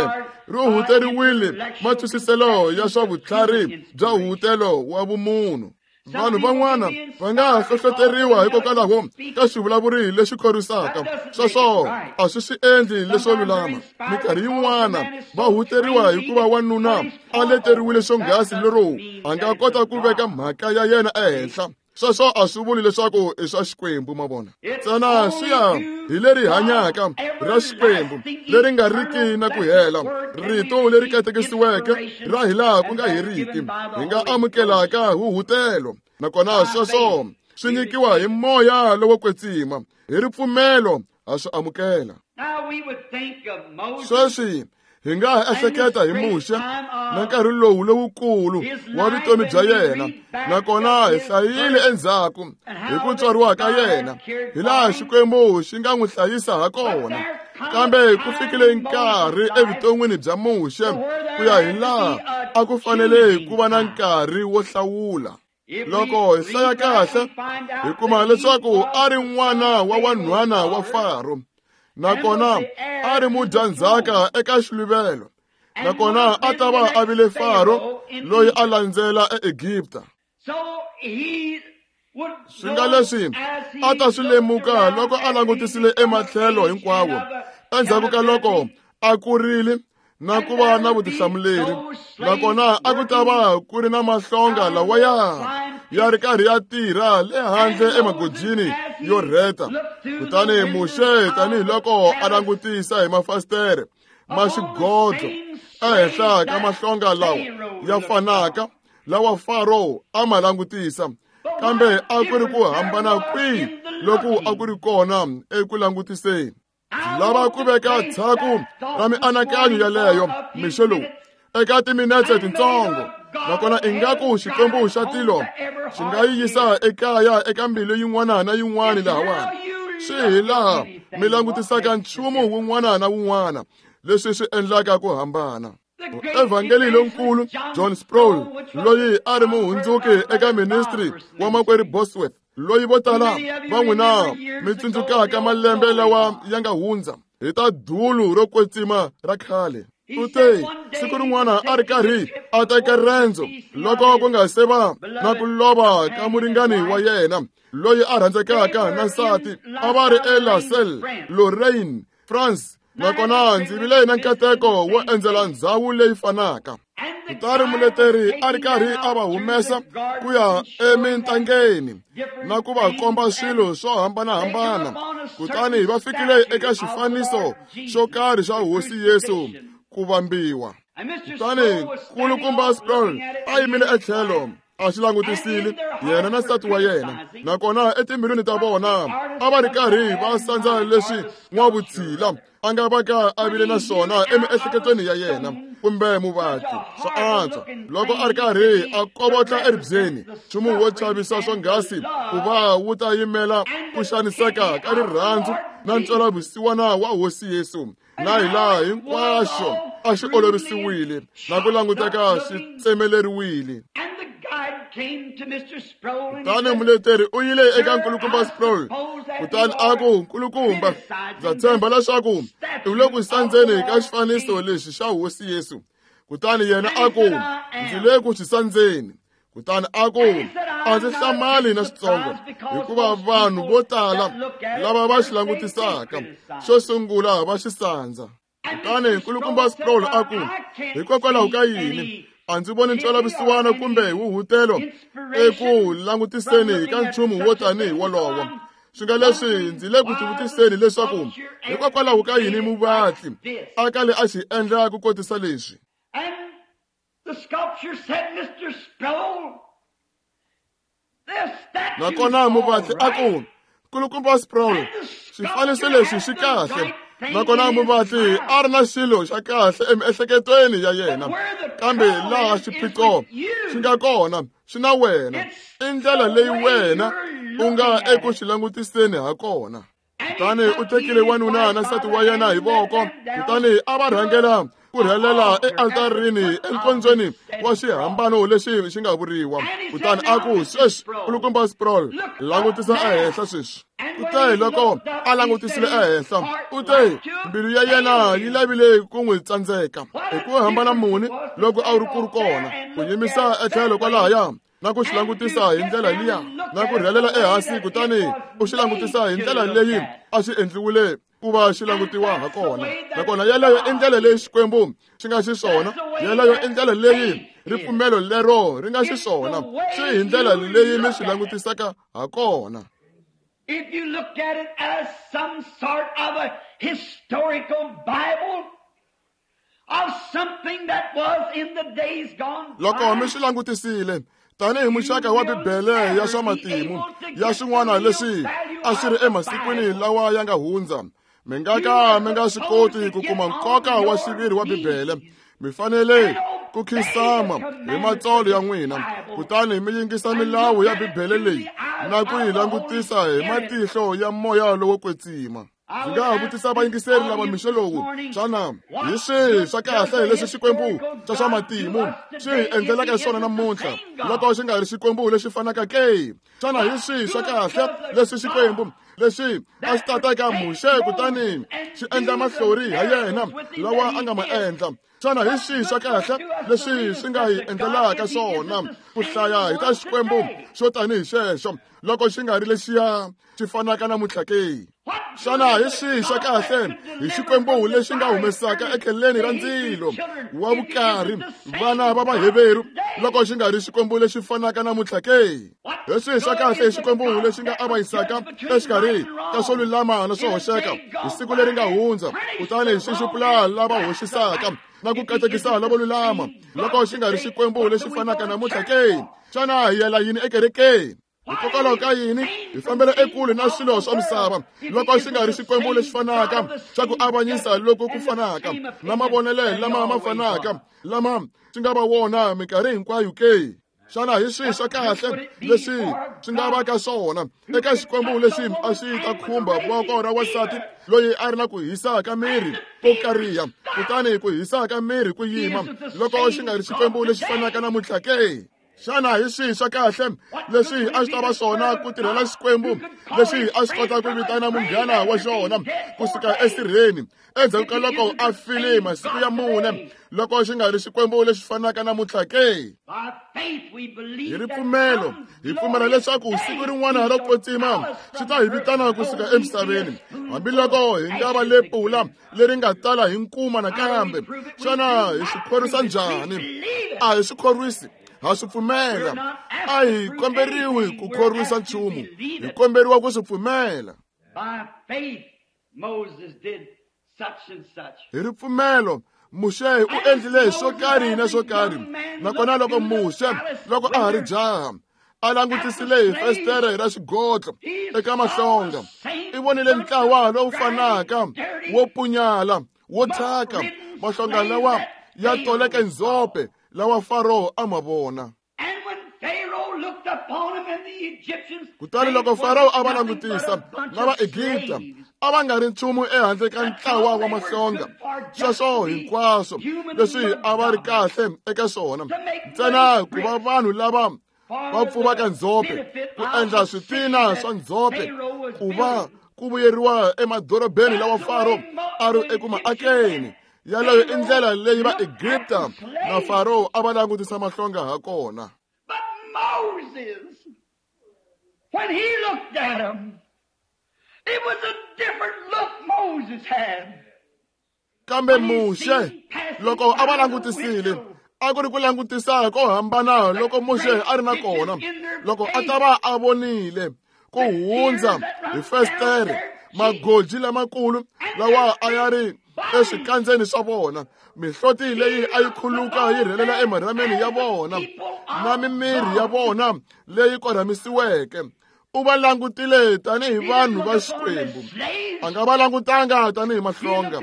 ri huhuteriwile matwisiselo ya swa vutlhari bya huhutelo wa vumunhu. Vanhu van'wana va nga hlohloteriwa hikokwalaho ka xivulavuri lexi khorwisaka. Sweswo a swi swi endli leswo lulama. Minkarhi yin'wana va huteriwa hikuva wanuna a leteriwile swonghasi lero a nga kota ku veka mhaka ya yena ehenhla. Sweswo a swi vuli leswaku i swa Xikwembu, ma vona. Ntsena swi ya hi leri hanyaka ra Xikwembu leri nga riki na ku hela, rito leri katekisiweke ra hilaha ku nga heriki, hi nga amukelaka huhutelo. Nakona sweswo swi nyikiwa hi moya lowo kwetsima, hi ripfumelo ha swi amukela. Sweswi hi nga ha ehleketa hi Muxe na nkarhi lowu lowukulu wa vutomi bya yena, nakona hi hlayile endzhaku hi ku tswariwa ka yena, hi laha Xikwembu xi nga n'wi hlayisa ha kona. Kambe ku fikile nkarhi evuton'wini bya Muxe ku ya hi laha a ku fanele ku va na nkarhi wo hlawula. Loko hi hlaya kahle, hi kuma leswaku a ri n'wana wa wanhwana wa Faro, nakona a ri mudyandzhaka eka xiluvelo, nakona a ta va a vile Faro loyi a landzela eEgipta. Swi nga leswi a ta swi lemuka loko a langutisile ematlhelo hinkwawo endzhaku ka loko a kurile na ku va na vutihlamuleri, nakona a ku ta va ku ri na mahlonga lawaya ya ri karhi ya tirha le handle emagojini yo rheta. Kutani Muxe, tanihiloko a langutisa hi mafasitere ma xigodlo ehenhla ka mahlonga lawa ya fanaka lawa Faro a ma langutisa, kambe a ku ri ku hambana kwihi loku a ku ri kona eku langutiseni. Lava ku veka tshaku ra mianakanyo yaleyo mixo lowu eka timinetse tintsongo, nakona ingaku Xikwembu xa tilo xi nga yi yisa ekaya eka mbilu yin'wana na yin'wana lahawani. Swi hi laha mi langutisaka nchumu wun'wana na wun'wana leswi swi endlaka ku hambana. Evhangeli lonkulu John Sproul, loyi a ri muhundzuki eka ministry wa makwerhu Bosworth, loyi vo tala va n'wina mi tsundzukaka malembe lawa ya nga hundza hi ta dulu ro kwetsima ra khale. U te siku rin'wana a ri karhi a teka rendzo loko ku nga se va na ku lova ka muringani wa yena loyi a rhandzekaka na nsati, a va ri eLasalle, Lorraine, France, nakona ndzi vile na nkateko wo endzela ndzhawu leyi fanaka. Kutani muleteri a ri karhi a va humesa ku ya emintangeni na ku va komba swilo swo hambanahambana. Kutani va fikile eka xifaniso xo karhi xa Hosi Yesu ku vambiwa. Kutani nkulukumba Sproul a yimile etlhelo a xi langutisile yena na nsati wa yena, nakona etimbilwini ta vona a va ri karhi va sandza leswi n'wavutshila a nga va ka a vile na swona emiehleketweni ya yena kumbe muvatli swa antswa loko a ri karhi a kovotla eribyeni. Nchumu wo chavisa swonghasi ku va wu ta yimela ku xaniseka ka rirhandzu na ntwelavusiwana wa Hosi Yesu, na hi laha hinkwaxo a xi olovisiwile na ku languteka xi tsemeleriwile. Kutani muleteri u yile eka nkulukumba Sproul, kutani a ku, nkulukumba, ndza tshemba leswaku u le ku sandzeni ka xifaniso lexi xa Hosi Yesu. Kutani yena a ku, ndzi le ku xi sandzeni. Kutani a ku, a ndzi hlamali na xitsongo, hikuva vanhu vo tala lava va xi langutisaka xo sungula va xi sandza. Kutani nkulukumba Sproul a ku, hikokwalaho ka yini a ndzi voni ntwelavusiwana kumbe huhutelo eku langutiseni ka nchumu wo tanihi wolowo? Swi nga leswi ndzi le ku tivutiseni leswaku hikokwalaho ka yini muvatli a kale a xi endla ku kotisa leswi. Nakona muvatli a ku, nkulukumba Sproul, xifaniso lexi xi kahle. Nakona muvatli a ri na xilo xa kahle emiehleketweni ya yena, kambe laha xiphiqo xi nga kona xi na wena, i ndlela leyi wena u nga eku xi langutiseni ha kona. Kutani u tekile wanuna na nsati wa yena hi voko, kutani a va rhangela ku rhelela ealtarini enkondzweni wa xihambano lexi xi nga vuriwa. Kutani a ku, sweswi nkulukumba Sproul, langutisa ehenhla sweswi. Kutani loko a langutisile ehenhla, u te mbilu ya yena yi lavile ku n'wi tsandzeka. Hi ku hambana muni loko a ri ku ri kona ku yimisa etlhelo kwalahaya na ku xi langutisa hi ndlela liya na ku rhelela ehansi kutani u xi langutisa hi ndlela leyi a xi endliwile ku va xi langutiwa ha kona. Nakona yeleyo i ndlela leyi Xikwembu xi nga xiswona, yeleyo i ndlela leyi ripfumelo lero ri nga xiswona, swi hi ndlela leyi mi swi langutisaka ha kona. If you look at it as some sort of a historical Bible of something that was in the days gone by, loko mi swi langutisile tanihi muxaka wa Bibele ya swa matimu ya swin'wana leswi a swi ri emasikwini lawa ya nga hundza, mi nga ka mi nga swi koti ku kuma nkoka wa xiviri wa Bibele. Mi fanele ku khinsama hi matsolo ya n'wina kutani mi yingisa milawu ya Bibele leyi na ku yi langutisa hi matihlo ya moya lowo kwetsima. Ndzi nga ha vutisa vayingiseri lava mixo lowu, xana hi swihi swa kahle leswi Xikwembu xa swa matimu xi hi endlelaka swona namuntlha loko xi nga ri Xikwembu lexi fanaka ke? Xana hi swihi swa kahle leswi Xikwembu lexi a xi tataka Muxe kutani xi endla mahlori ha yena lawa a nga ma endla? Xana hi swihi swa kahle leswi swi nga hi endlelaka swona ku hlaya hi ta Xikwembu xo tanihi xexo loko xi nga ri lexiya xi fanaka namuntlha ke? Xana hi swihi swa kahle hi Xikwembu lexi nga humesaka ekheleni ra ndzilo wa vukarhi vana va Vaheveru loko xi nga ri Xikwembu lexi fanaka namuntlha ke? Hi swihi swa kahle hi Xikwembu lexi nga avanyisaka exikarhi ka swo lulama na swo hoxeka hi siku leri nga hundza kutani xi xupula lava hoxisaka na ku katekisa lavo lulama loko xi nga ri Xikwembu lexi fanaka namuntlha ke? Xana hi yela yini ekerekeni? Hikokwalaho ka yini hi fambela ekule na swilo swa misava loko xi nga ri Xikwembu lexi fanaka xa ku avanyisa loko ku fanaka na mavonelo lama ma fanaka lama xi nga va wona minkarhi hinkwayo ke? Xana hi swihi swa kahle leswi swi nga va ka swona eka Xikwembu lexi a xi ta khumba voko ra wansati loyi a ri na ku hisa ka miri ko kariha kutani ku hisa ka miri ku yima loko xi nga ri Xikwembu lexi fanaka namuntlha ke? Xana hi swihi swa kahle leswi a swi ta va swona ku tirhela Xikwembu lexi a swi kota ku vitana munghana wa xona kusuka esirheni endzhaku ka loko a file masiku ya mune loko xi nga ri Xikwembu lexi fanaka namuntlha ke? Hi ripfumelo hi pfumela leswaku siku rin'wana ro kwetsima xi ta hi vitana kusuka emisaveni hambiloko hi nga va le pula leri nga tala hi nkuma nakambe. Xana hi swi khorwisa njhani? A hi swi khorwisi, ha swi pfumela. A hi komberiwi ku khorwisa nchumu, hi komberiwa ku swi pfumela. Hi ripfumelo Muxe u endlile swo karhi na swo karhi. Nakona loko Muxe loko a ha ri jaha a langutisile hi festere ra xigodlo eka mahlonga, i vonile ntlawa lowu fanaka wo punyala wo thyaka, mahlonga lawa ya toleke ndzhope lawa Faro a ma vona. Kutani loko Faro a va langutisa na Vaegipta a va nga ri nchumu ehandle ka ntlawa wa mahlonga, sweswo hinkwaswo leswi a va ri kahle eka swona ntsena ku va vanhu lava va pfuvaka ndzhope ku endla switina swa ndzhope ku va ku vuyeriwa emadorobeni lawa Faro a ri eku ma akeni. Yaleyo i ndlela leyi Vaegipta na Faro a va langutisa mahlonga ha kona. But Moses, when he looked at him, it was a different look Moses had. Kambe Muxe loko a va langutisile a ku ri ku langutisa ko hambana loko Muxe a ri na kona loko a ta va a vonile ku hundza hi festere magoji lamakulu lawa a ya ri eswikandzeni swa vona, mihloti leyi a yi khuluka yi rhelela emarhameni ya vona na mimiri ya vona leyi korhamisiweke. U va langutile tanihi vanhu va Xikwembu, a nga va langutanga tanihi mahlonga.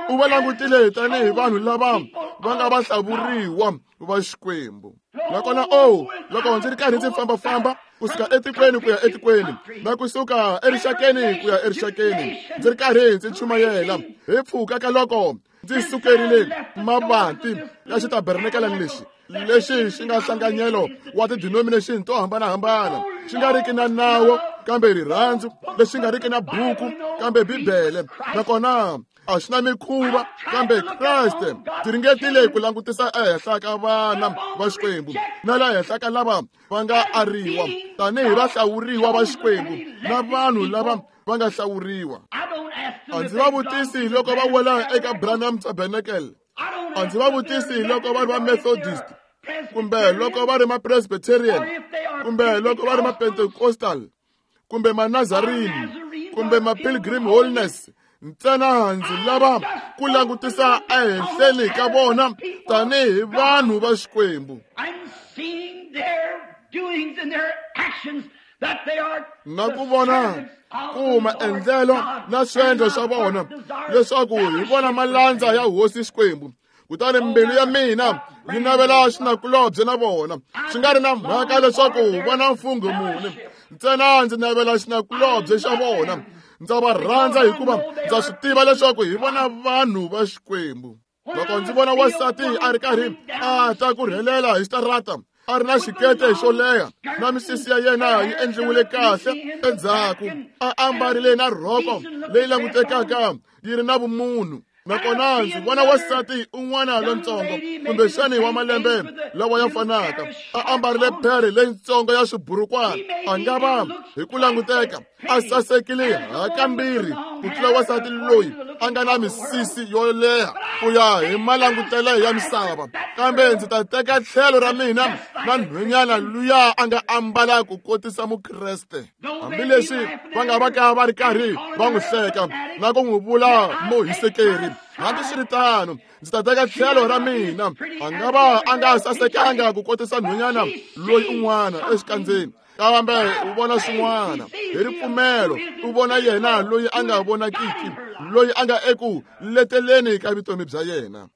U va langutile tanihi vanhu lava va nga va hlawuriwa va Xikwembu. Nakona o loko ndzi ri karhi ndzi fambafamba kusuka etikweni ku ya etikweni na kusuka erixakeni ku ya erixakeni ndzi ri karhi ndzi chumayela hi pfuka ka loko ndzi sukerile mavanti ya xitabernakelani lexi lexi xi nga nhlanganyelo wa ti-denomination to hambanahambana, xi nga riki na nawu kambe rirhandzu, lexi nga riki na buku kambe Bibele. Nakona a xi na mikhuva kambe Kreste. Ndzi ringetile ku langutisa ehenhla ka vana va Xikwembu na la henhla ka lava va nga ariwa tanihi vahlawuriwa va Xikwembu na vanhu lava va nga hlawuriwa. A ndzi va vutisi loko va wela eka Branham Tabernacle, a ndzi va vutisi loko va ri va Methodist kumbe loko va ri ma Presbyterian kumbe loko va ri ma Pentecostal kumbe ma Nazarene kumbe ma Pilgrim Holiness. Ntsena ndzi lava ku langutisa ehenhleni ka vona tanihi vanhu va Xikwembu na ku vona ku maendlelo na swiendlo swa vona leswaku hi vona malandza ya Hosi Xikwembu. Kutani mbilu ya mina yi navela xinakulobye na vona, swi nga ri na mhaka leswaku va na mfungho muni. Ntsena ndzi navela xinakulobye xa vona. Ndza va rhandza hikuva ndza swi tiva leswaku hi vona vanhu va Xikwembu. Loko ndzi vona wansati a ri karhi a ta ku rhelela hi xitarata a ri na xikete xo leha na misisi ya yena yi endliwile kahle endzhaku, a ambarile na rhoko leyi langutekaka yi ri na vumunhu, nakona ndzi vona wansati un'wana lontsongo kumbexani wa malembe lawa ya fanaka a ambarile phere leyitsongo ya swiburukwana, a nga va hi ku languteka a sasekile hakambirhi ku tlula wansati loyi a nga na misisi yo leha ku ya hi malangutelo ya misava. Kambe ndzi ta teka tlhelo ra mina na nhwenyana luya a nga ambala ku kotisa Mukreste, hambileswi va nga va ka va ri karhi va n'wi hleka na ku n'wi vula muhisekeri. Hambiswiritano ndzi ta teka tlhelo ra mina, a nga va a nga sasekanga ku kotisa nhwenyana loyi un'wana exikandzeni, kambe u vona swin'wana hi ripfumelo. U vona yena loyi a nga vonakiki, loyi a nga eku leteleni ka vutomi bya yena.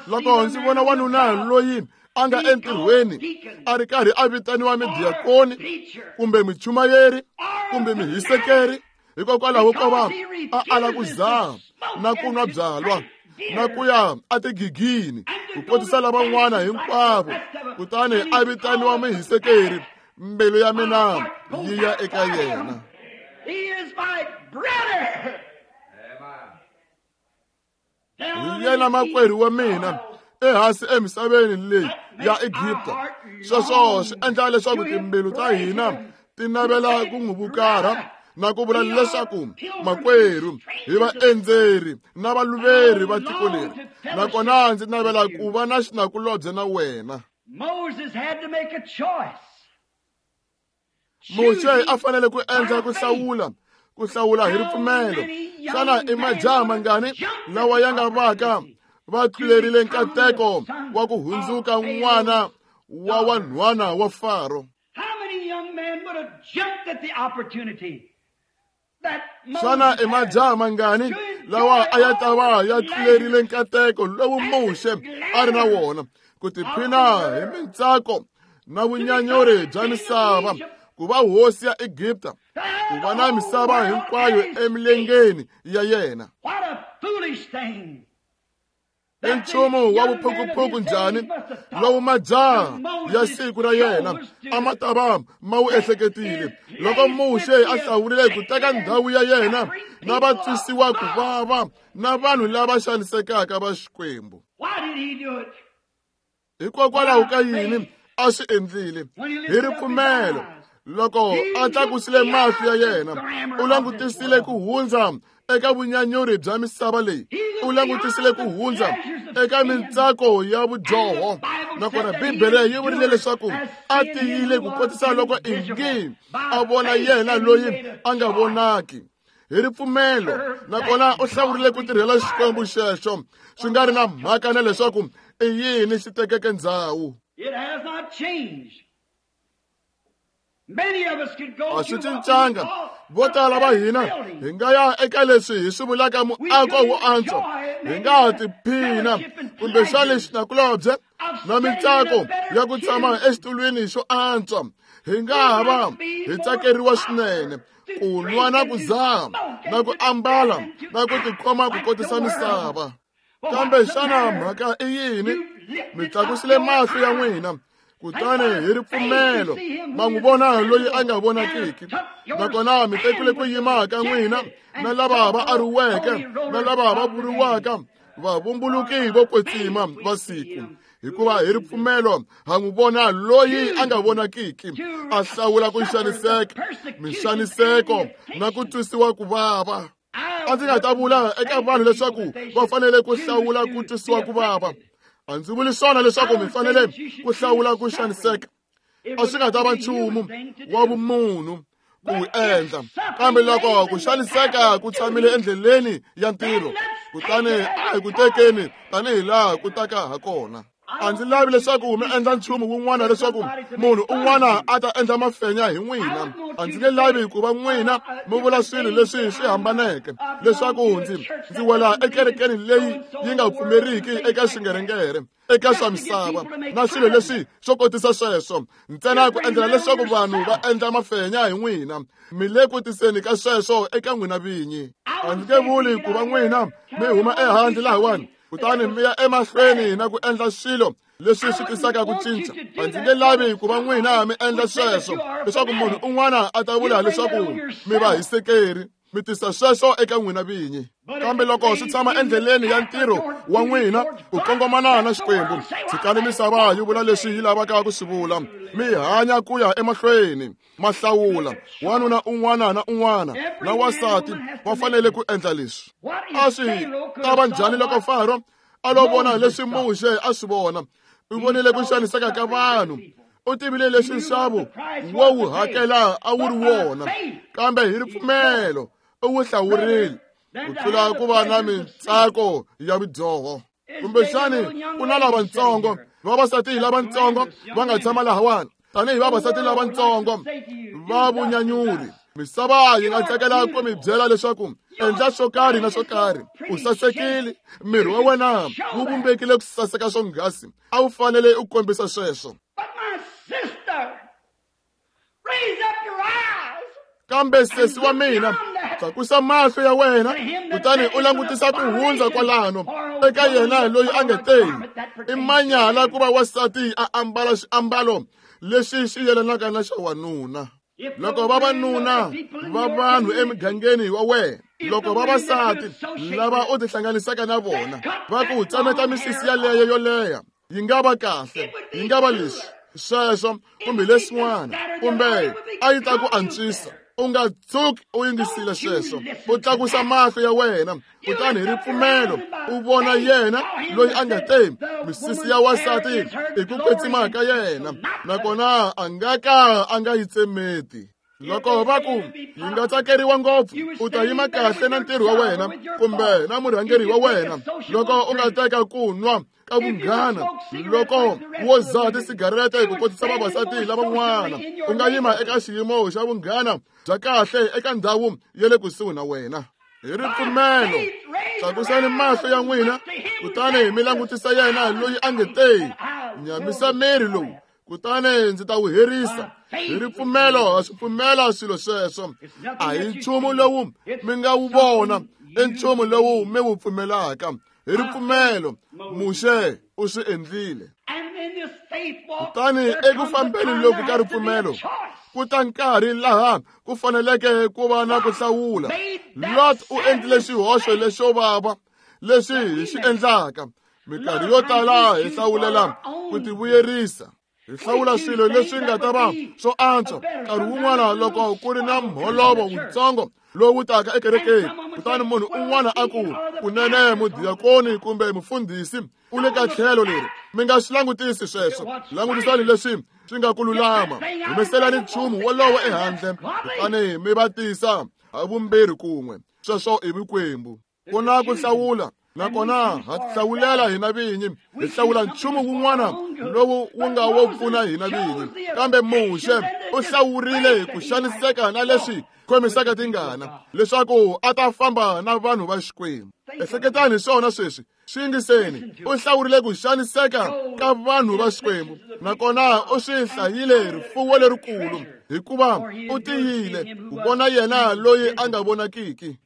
Loko ndzi vona wanuna loyi a nga entirhweni a ri karhi a vitaniwa midiakoni kumbe michumayeri kumbe mihisekeri hikokwalaho ko va a ala ku zaha na ku nwa byalwa na ku ya atigigini ku kotisa lavan'wana hinkwavo, kutani a vitaniwa mihisekeri, mbilu ya mina yi ya eka yena. Hi yena makwerhu wa mina ehansi emisaveni leyi ya Egipta. Sweswo swi endla leswaku timbilu ta hina ti navela ku n'wi vukarha na ku vula leswaku makwerhu hi vaendzeri na valuveri va tiko leri, nakona ndzi navela ku va na xinakulobye na wena. Muxe a fanele ku endla ku hlawula, ku hlawula hi ripfumelo. Xana i majaha mangani lawa ya nga vaka va tlulerile nkateko wa ku hundzuka n'wana wa wanhwana wa Faro? Xana i majaha mangani lawa a ya ta va ya tlulerile nkateko lowu Muxe a ri na wona ku tiphina hi mintsako na vunyanyuri bya misava, ku va hosi ya Egipta, ku va na misava hinkwayo emilengeni ya yena? I nchumu wa vuphukuphuku njhani lowu majaha ya siku ra yena a ma ta va ma wu ehleketile loko Muxe a hlawurile ku teka ndhawu ya yena na va twisiwa ku vava na vanhu lava xanisekaka va Xikwembu. Hikokwalaho ka yini a swi endlile? Hi ripfumelo. Loko a tlakusile mahlo ya yena, u langutisile ku hundza eka vunyanyuri bya misava leyi, u langutisile ku hundza eka mintsako ya vudyoho. Nakona Bibele yi vurile leswaku a tiyile ku kotisa loko ingi a vona yena loyi a nga vonaki. Hi ripfumelo, nakona u hlawurile ku tirhela Xikwembu xexo, swi nga ri na mhaka na leswaku i yini xi tekeke ndzhawu. A swi cincanga. Vo tala va hina hi nga ya eka leswi hi swi vulaka muako wo antswa, hi nga ha tiphina kumbexani xinakulobye na mintsako ya ku tshama exitulwini xo antswa. Hi nga ha va hi tsakeriwa swinene ku nwa na ku zaha na ku ambala na ku tikhoma ku kotisa misava. Kambe xana mhaka i yini? Mi tlakusile mahlo ya n'wina Kutani hi ripfumelo ma n'wi vona loyi a nga vonakiki, nakona mi tekile ku yima ka n'wina na lava va ariweke na lava va vuriwaka vavumbuluki vo kwetsima va siku. Hikuva hi ripfumelo ha n'wi vona loyi a nga vonakiki, a hlawula ku xaniseka, minxaniseko na ku twisiwa ku vava. A ndzi nga ta vula eka vanhu leswaku va fanele ku hlawula ku twisiwa ku vava. A ndzi vuli swona leswaku mi fanele ku hlawula ku xaniseka. A swi nga ta va nchumu wa vumunhu ku wu endla, kambe loko ku xaniseka ku tshamile endleleni ya ntirho, kutani a hi ku tekeni tanihi laha ku taka ha kona. A ndzi lavi leswaku mi endla nchumu wun'wana leswaku munhu un'wana a ta endla mafenya hi n'wina. A ndzi nge lavi ku va n'wina mi vula swilo leswi swi hambaneke, leswaku ndzi ndzi wela ekerekeni leyi yi nga pfumeriki eka swingerengere, eka swa misava na swilo leswi swo kotisa sweswo, ntsena ku endlela leswaku vanhu va endla mafenya hi n'wina. Mi le ku tiseni ka sweswo eka n'wina vinyi. A ndzi nge vuli ku va n'wina mi huma ehandle lahawani kutani mi ya emahlweni na ku endla swilo leswi swi tisaka ku cinca. A ndzi nge lavi ku va n'wina mi endla sweswo leswaku munhu un'wana a ta vula leswaku mi va hisekeri. Mi tisa sweswo eka n'wina vinyi. Kambe loko swi tshama endleleni ya ntirho wa n'wina ku kongomana na Xikwembu, tshikani misava yi vula leswi yi lavaka ku swi vula. Mi hanya ku ya emahlweni, ma hlawula. Wanuna un'wana na un'wana na wansati va fanele ku endla leswi. A swi ta va njhani loko Faro a lo vona leswi Muxe a swi vona? U vonile ku xaniseka ka vanhu. U tivile leswi nxavo wo wu hakela a wu ri wona, kambe hi ripfumelo u wu hlawurile ku tlula ku va na mintsako ya vudyoho. Kumbexani ku na lavatsongo, vavasati lavatsongo va nga tshama lahawani tanihi vavasati lavatsongo va vunyanyuri. Misava yi nga tsakela ku mi byela leswaku endla swo karhi na swo karhi. U sasekile, miri wa wena wu vumbekile ku saseka swonghasi, a wu fanele u kombisa sweswo. Kambe sesi wa mina, tlakusa mahlo ya wena kutani u langutisa ku hundza kwalano eka yena loyi a nga teni. I manyala ku va wansati a ambala xiambalo lexi xi yelanaka na xa wanuna. Loko vavanuna va vanhu emugangeni wa wena, loko vavasati lava u tihlanganisaka na vona va ku tsemeta misisi yaleyo yo leha, yi nga va kahle, yi nga va leswi sweswo kumbe leswin'wana, kumbe a yi ta ku antswisa. U nga tshuki u yingisile sweswo. U tlakusa mahlo ya wena kutani hi ripfumelo u vona yena loyi a nga te misisi ya wansati i ku kwetsima ka yena, nakona a nga ka a nga yi tsemeti. Loko va ku yi nga tsakeriwa ngopfu, u ta yima kahle na ntirho wa wena kumbe na murhangeri wa wena. Loko u nga teka ku nwa ka vunghana, loko wo dzaha tisigarete ku kotisa vavasati lavan'wana, u nga yima eka xiyimo xa vunghana bya kahle eka ndhawu ya le kusuhi na wena. Hi ripfumelo tlakusani mahlo ya n'wina kutani mi langutisa yena loyi a nge te nyamisa miri lowu, kutani ndzi ta wu herisa. Hi ripfumelo ha swi pfumela swilo sweswo. A hi nchumu lowu mi nga wu vona, i nchumu lowu mi wu pfumelaka. Hi ripfumelo Muxe u swi endlile. Kutani eku fambeni loku ka ripfumelo ku ta nkarhi laha ku faneleke ku va na ku hlawula. Lot u endlile xihoxo lexo vava lexi hi xi endlaka. Minkarhi yo tala hi hlawulela ku tivuyerisa. Hi hlawula swilo leswi nga ta va swo antswa. Nkarhi wun'wana loko ku ri na mholovo wutsongo lowu taka ekerekeni, kutani munhu un'wana a ku kunene mudiyakoni kumbe mufundhisi u le ka tlhelo leri, mi nga swi langutisi sweswo. Langutisani leswi swi nga ku lulama, humeselani nchumu wolowo ehandle kutani mi va tisa ha vumbirhi kun'we. Sweswo i vukwembu. Ku na ku hlawula, nakona ha hlawulela hina vinyi, hi hlawula nchumu wun'wana lowu wu nga wo pfuna hina vinyi. Kambe Muxe u hlawurile ku xaniseka na leswi khomisaka tingana leswaku a ta famba na vanhu va Xikwembu. Ehleketani hi swona sweswi, swi yingiseni. U hlawurile ku xaniseka ka vanhu va Xikwembu, nakona u swi hlayile rifuwo lerikulu, hikuva u tiyile ku vona yena loyi a nga vonakiki.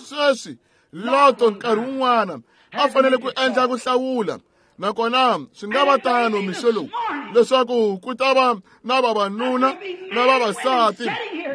Sweswi Loto nkarhi wun'wana a fanele ku endla ku hlawula. Nakona swi nga va tano mixo lowu leswaku ku ta va na vavanuna na vavasati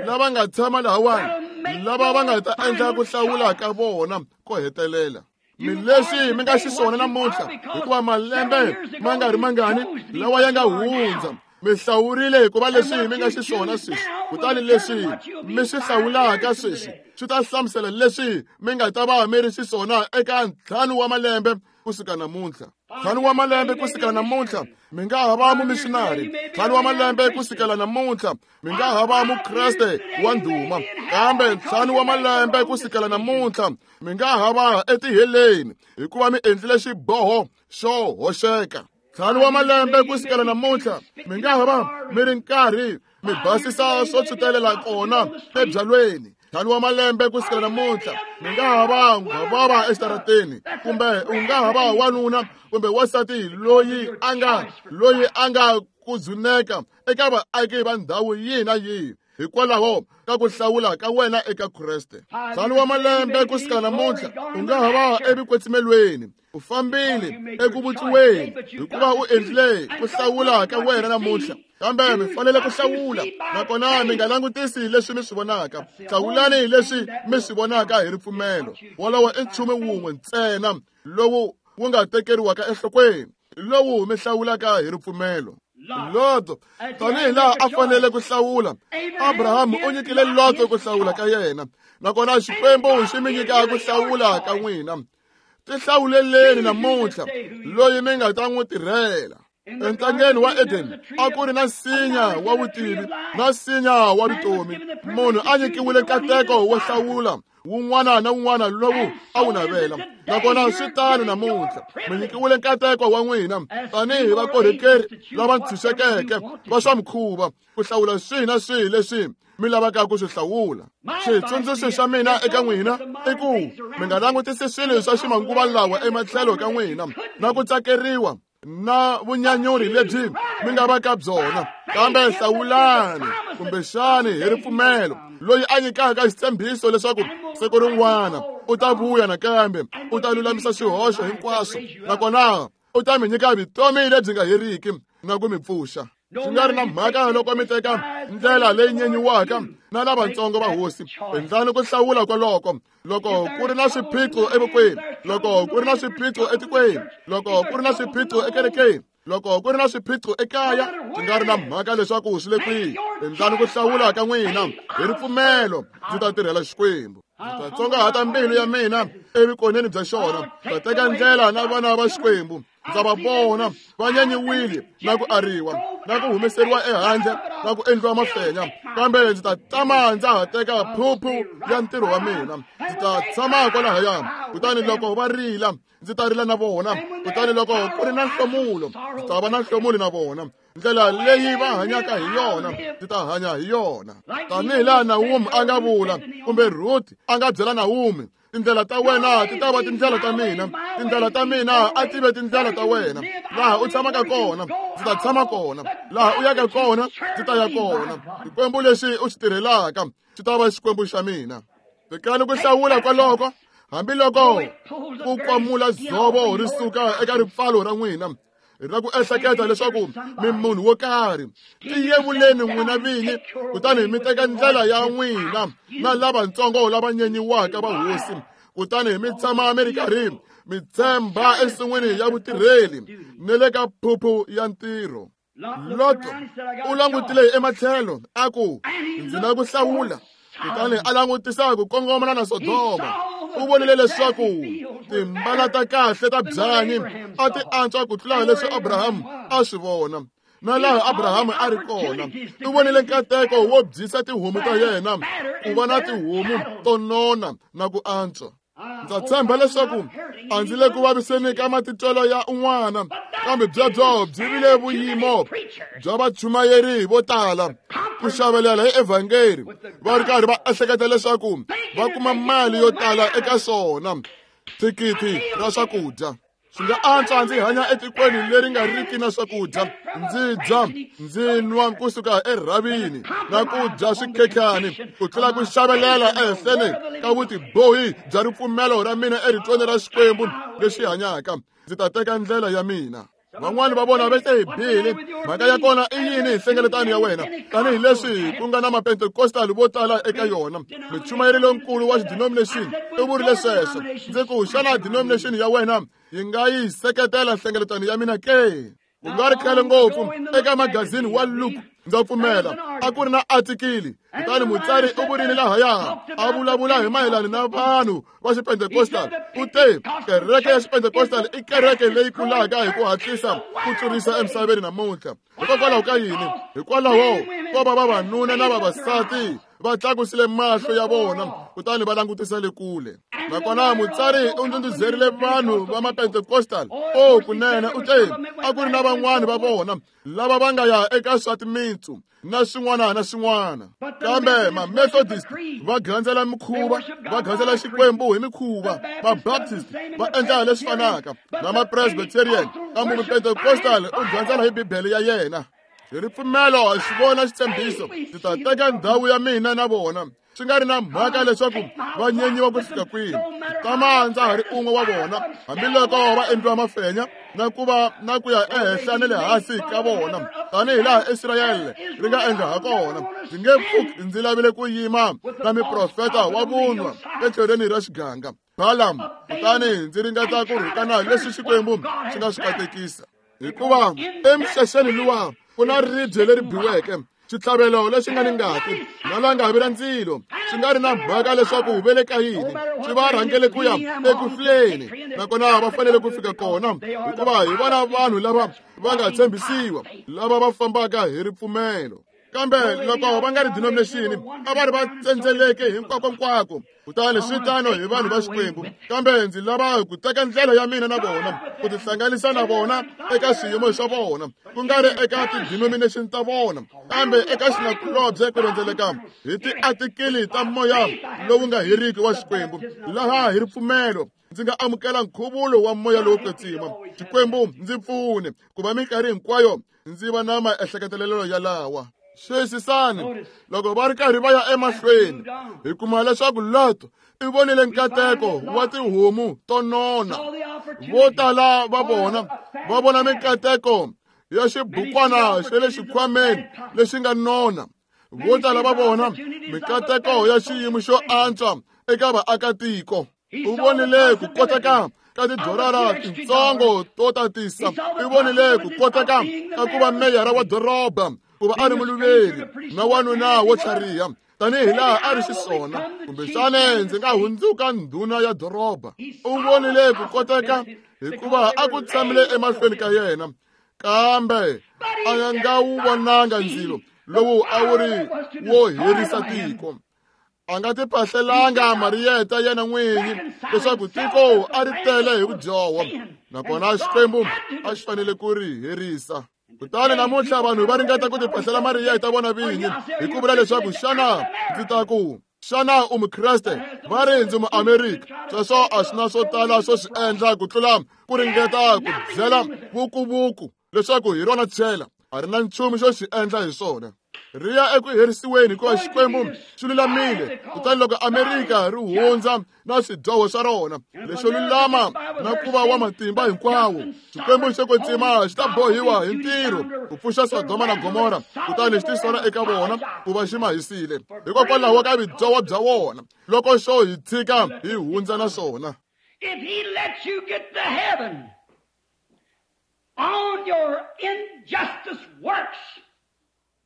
lava nga tshama lahawani lava va nga ta endla ku hlawula ka vona ko hetelela. Mi leswi mi nga xiswona namuntlha hikuva malembe ma nga ri mangani lawa ya nga hundza mi hlawurile hikuva leswi mi nga xiswona sweswi, kutani leswi mi swi hlawulaka sweswi swi ta hlamusela leswi mi nga ta va mi ri xiswona eka ntlhanu wa malembe kusuka namuntlha. Ntlhanu wa malembe kusukela namuntlha mi nga ha va mumissionary. Ntlhanu wa malembe kusukela namuntlha mi nga ha va mukreste wa ndhuma. Kambe ntlhanu wa malembe kusukela namuntlha mi nga ha va etiheleni hikuva mi endlile xiboho xo hoxeka. Ntlhanu wa malembe kusukela namuntlha mi nga ha va mi ri nkarhi mi basisa swo tshwutelela kona ebyalweni. Ntlhanu wa malembe kusukela namuntlha mi nga ha va nghwavava exitarateni, kumbe u nga ha va wanuna kumbe wansati loyi a nga loyi a nga ku dzuneka eka vaaki va ndhawu yihi na yihi hikwalaho ka ku hlawula ka wena eka Kreste. Ntlhanu wa malembe kusukela namuntlha u nga ha va evikwetsimelweni, u fambile eku vutliweni hikuva u endlile ku hlawula ka wena namuntlha. Kambe mi fanele ku hlawula, nakona mi nga langutisi leswi mi swi vonaka. Hlawulani leswi mi swi vonaka hi ripfumelo. Wolowo i nchumu wun'we ntsena lowu wu nga tekeriwaka enhlokweni, lowu mi hlawulaka hi ripfumelo. Loto, tanihi laha a fanele ku hlawula, Abrahamu u nyikile Loto ku hlawula ka yena, nakona Xikwembu xi mi nyika ku hlawula ka n'wina. Tihlawuleleni namuntlha loyi mi nga ta n'wi tirhela. Entangeni wa Eden a ku ri na nsinya wa vutivi na nsinya wa vutomi. Munhu a nyikiwile nkateko wo hlawula wun'wana na wun'wana lowu a wu navela. Nakona swi tano namuntlha, mi nyikiwile nkateko wa n'wina tanihi vakorhokeri lava ntshunxekeke va swa mikhuva ku hlawula swihi na swihi leswi mi lavaka ku swi hlawula. Xitsundzuxo xa mina eka n'wina i ku mi nga langutisi swilo swa ximanguva lawa ematlhelo ka n'wina na ku tsakeriwa na vunyanyuri lebyi mi nga va ka byona, kambe hlawulani kumbexani hi ripfumelo loyi a nyikaka xitshembiso leswaku siku rin'wana u ta vuya nakambe u ta lulamisa swihoxo hinkwaswo, nakona u ta mi nyika vutomi lebyi nga heriki na ku mi pfuxa. Swi nga ri na mhaka loko mi teka ndlela leyi nyenyiwaka na lavatsongo va hosi, endlani ku hlawula kwaloko. Loko ku ri na swiphiqo evokweni, loko ku ri na swiphiqo etikweni, loko ku ri na swiphiqo ekerekeni, loko ku ri na swiphiqo ekaya, swi nga ri na mhaka leswaku swi le kwihi, endlani ku hlawula ka n'wina hi ripfumelo. Ndzi ta tirhela Xikwembu, ndzi ta tsongahata mbilu ya mina evukoneni bya xona, ndzi ta teka ndlela na vana va Xikwembu. Ndza va vona va nyanyiwile na ku ariwa na ku humeseriwa ehandle na ku endliwa mafenya, kambe ndzi ta tama ndza ha teka phuphu ya ntirho wa mina. Ndzi ta tshama kwalahaya, kutani loko va rila ndzi ta rila na vona, kutani loko ku ri na nhlomulo ndzi ta va na nhlomulo na vona. Ndlela leyi va hanyaka hi yona ndzi ta hanya hi yona. Tanihi laha Naomi a nga vula, kumbe Ruth a nga byela Naomi, tindlela ta wena ti ta va tindlela ta mina, tindlela ta mina a ti ve tindlela ta wena. Laha u tshamaka kona ndzi ta tshama kona, laha u yaka kona ndzi ta ya kona. Xikwembu lexi u xi tirhelaka xi ta va Xikwembu xa mina. Tekani ku hlawula kwaloko, hambiloko ku kwamula dzovo ri suka eka ripfalo ra n'wina ra ku ehleketa leswaku mi munhu wo karhi, tiyevuleni n'wina vinyi, kutani mi teka ndlela ya n'wina na lavatsongo lava nyenyiwaka va hosi, kutani mi tshama mi ri karhi mi tshemba ensin'wini ya vutirheli ni le ka phuphu ya ntirho. Loto u langutile ematlhelo a ku, ndzi na ku hlawula, kutani a langutisa ku kongomana na Sodoma. U vonile leswaku timbala ta kahle ta byanyi a ti antswa ku tlula leswi Abrahamu a swi vona na laha Abrahamu a ri kona. U vonile nkateko wo byisa tihomu ta yena ku va na tihomu to nona na ku antswa. Ndza tshemba leswaku a ndzi le ku vaviseni ka matitwelo ya un'wana, kambe byebyo byi vile vuyimo bya vachumayeri vo tala ku xavelela hi evhangeli va ri karhi va ehleketa leswaku va kuma mali yo tala eka swona thikithi ra swakudya. Swi nga antswa ndzi hanya etikweni leri nga riki na swakudya, ndzi dya ndzi nwa kusuka erhavini na ku dya swikhekhani ku tlula ku xavelela ehenhleni ka vutibohi bya ripfumelo ra mina eritweni ra Xikwembu lexi hanyaka. Ndzi ta teka ndlela ya mina. Van'wani va vona va te Bili, mhaka ya kona i yini hi nhlengeletano ya wena? Tanihileswi ku nga na mapentekostal vo tala eka yona. Muchumayeri lonkulu wa xidenomination u vurile sweswo. Ndzi ku, xana denomination ya wena yi nga yi seketela nhlengeletano ya mina ke? Ku nga ri khale ngopfu eka magazini wa Look, ndza pfumela a ku ri na artikili. Kutani mutsari u vurile lahaya a vulavula hi mayelana na vanhu va xipentekostal. U te kereke ya xipentekostal i kereke leyi kulaka hi ku hatlisa ku tlurisa emisaveni namuntlha. Hikokwalaho ka yini? Hikwalaho ko va vavanuna na vavasati va tlakusile mahlo ya vona kutani va langutisa le kule. Nakona mutsari u ndhundhuzerile vanhu va mapentekostal. O kunene u te a ku ri na van'wani va vona lava va nga ya eka swa timitsu na swin'wana na swin'wana. Kambe ma-Methodist va gandzela mikhuva, va gandzela Xikwembu hi mikhuva. Ma-Baptist va endla leswi fanaka na ma-Presbyterian. Kambe Mupentekostal u gandzela hi Bibele ya yena. Hi ripfumelo hi xi vona xitshembiso, ndzi ta teka ndhawu ya mina na vona. Swi nga ri na mhaka leswaku va nyenyiwa ku fika kwihi, tama ndza ha ri un'we wa vona, hambiloko va endliwa mafenya na ku va na ku ya ehenhla na le hansi ka vona, tanihi laha Israyele ri nga endla ha kona. Ndzi nge pfuki ndzi lavile ku yima na miprofeta wa vunwa etlhelweni ra xiganga Balaam, kutani ndzi ringeta ku rhukana leswi Xikwembu xi nga swi katekisa. Hikuva emixaxeni luwa ku na ribye leri biweke, xitlhavelo lexi nga ni ngati na langavi ra ndzilo. Swi nga ri na mhaka leswaku ve le ka yini, swi va rhangele ku ya eku hluleni, nakona va fanele ku fika kona, hikuva hi vona vanhu lava va nga tshembisiwa, lava va fambaka hi ripfumelo. Kambe loko va nga ri denomination, a va ri va tsendzeleke hinkwakonkwako. Kutani swi tano hi vanhu va Xikwembu. Kambe ndzi lava ku teka ndlela ya mina na vona, ku tihlanganisa na vona eka swiyimo swa vona, ku nga ri eka ti-denomination ta vona, kambe eka xinakulobye ku rhendzeleka hi tiatikili ta moya lowu nga heriki wa Xikwembu, laha hi ripfumelo ndzi nga amukela nkhuvulo wa moya lowo kwetsima. Xikwembu ndzi pfune ku va minkarhi hinkwayo ndzi va na maehleketelelo yalawa. Xiyisisani, loko va ri karhi va ya emahlweni, hi kuma leswaku Lot i vonile nkateko wa tihomu to nona. Vo tala va vona va vona minkateko ya xibukwana xa le xikhwameni lexi nga nona. Vo tala va vona minkateko ya xiyimo xo antswa eka vaakatiko. U vonile ku koteka ka tidorara tintsongo to tatisa. U vonile ku koteka ka ku va meyara wa doroba, ku va a ri muluveri na wanuna wo tlhariha tanihi laha a ri xiswona. Kumbexana ndzi nga hundzuka ndhuna ya doroba. U vonile ku koteka hikuva a ku tshamile emahlweni ka yena, kambe a nga wu vonanga ndzilo lowu a wu ri wo herisa tiko. A nga tipahlelanga mariyeta yena n'winyi leswaku tiko a ri tele hi vudyoho, nakona Xikwembu a xi fanele ku ri herisa. Kutani namuntlha vanhu va ringeta ku tipahlela mariyeta vona vinyi hi ku vula leswaku xana ndzi ta ku, xana u Mukreste? Va ri ndzi Muamerika. Sweswo a swi na swo tala swo swi endla ku tlula ku ringeta ku byela vukuvuku leswaku hi rona chela. A ri na nchumu xo xi endla hi swona. Ri ya eku herisiweni hikuva Xikwembu xi lulamile. Kutani loko Amerika ri hundza na swidyoho swa rona leswo lulama na ku va wa matimba hinkwawo, Xikwembu xo kwetsima xi ta bohiwa hi ntirho ku pfuxa Sodoma na Gomora, kutani xi tisola eka vona ku va xi ma hisile hikokwalaho ka vudyoho bya vona loko xo hi tshika hi hundza na swona. If he lets you get to heaven on your injustice works,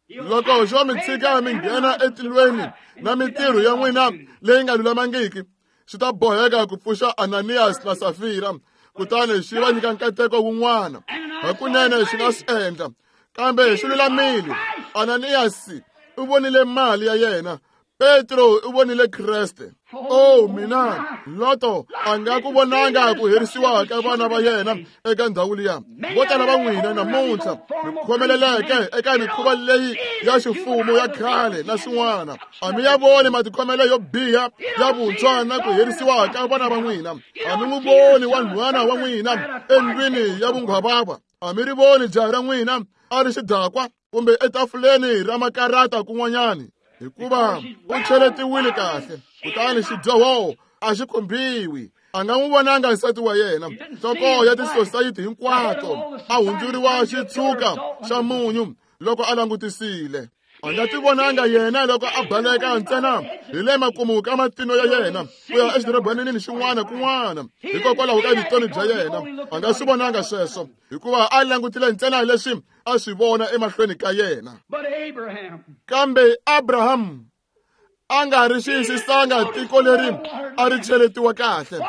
loko xo mi tshika mi nghena etilweni na mintirho ya n'wina leyi nga lulamangiki, xi ta boheka ku pfuxa Ananias na Safira, kutani xi va nyika nkateko wun'wana. Hakunene xi nga swi endla, kambe xi lulamile. Ananias u vonile mali ya yena, Petro u vonile Kreste. Oh mina, Loto a nga ku vonanga ku herisiwa ka vana va yena eka ndhawu liya. Vo tala va n'wina namuntlha mi khomeleleke eka mikhuva leyi ya ximfumo ya khale na swin'wana. A mi ya voni matikhomelo yo biha ya vuntshwa na ku herisiwa ka vana va n'wina. A mi n'wi voni wanhwana wa n'wina endlwini ya vunghwavava. A mi ri voni jaha ra n'wina a ri xidakwa kumbe etafuleni ra makarata kun'wanyani, hikuva u cheletiwile kahle, kutani xidyoho a xi khumbiwi. A nga n'wi vonanga nsati wa yena, nhloko ya tisosayiti hinkwato, a hundzuriwa xitshuka xa munyu loko a langutisile. A nga ti vonanga yena loko a baleka ntsena hi le makumu ka matino ya yena ku ya exidorobanini xin'wana kun'wana hikokwalaho ka vutomi bya yena. A nga swi vonanga sweswo hikuva a langutile ntsena leswi a swi vona emahlweni ka yena. Kambe Abraham a nga ri xiyisisanga tiko leri a ri cheletiwa kahle,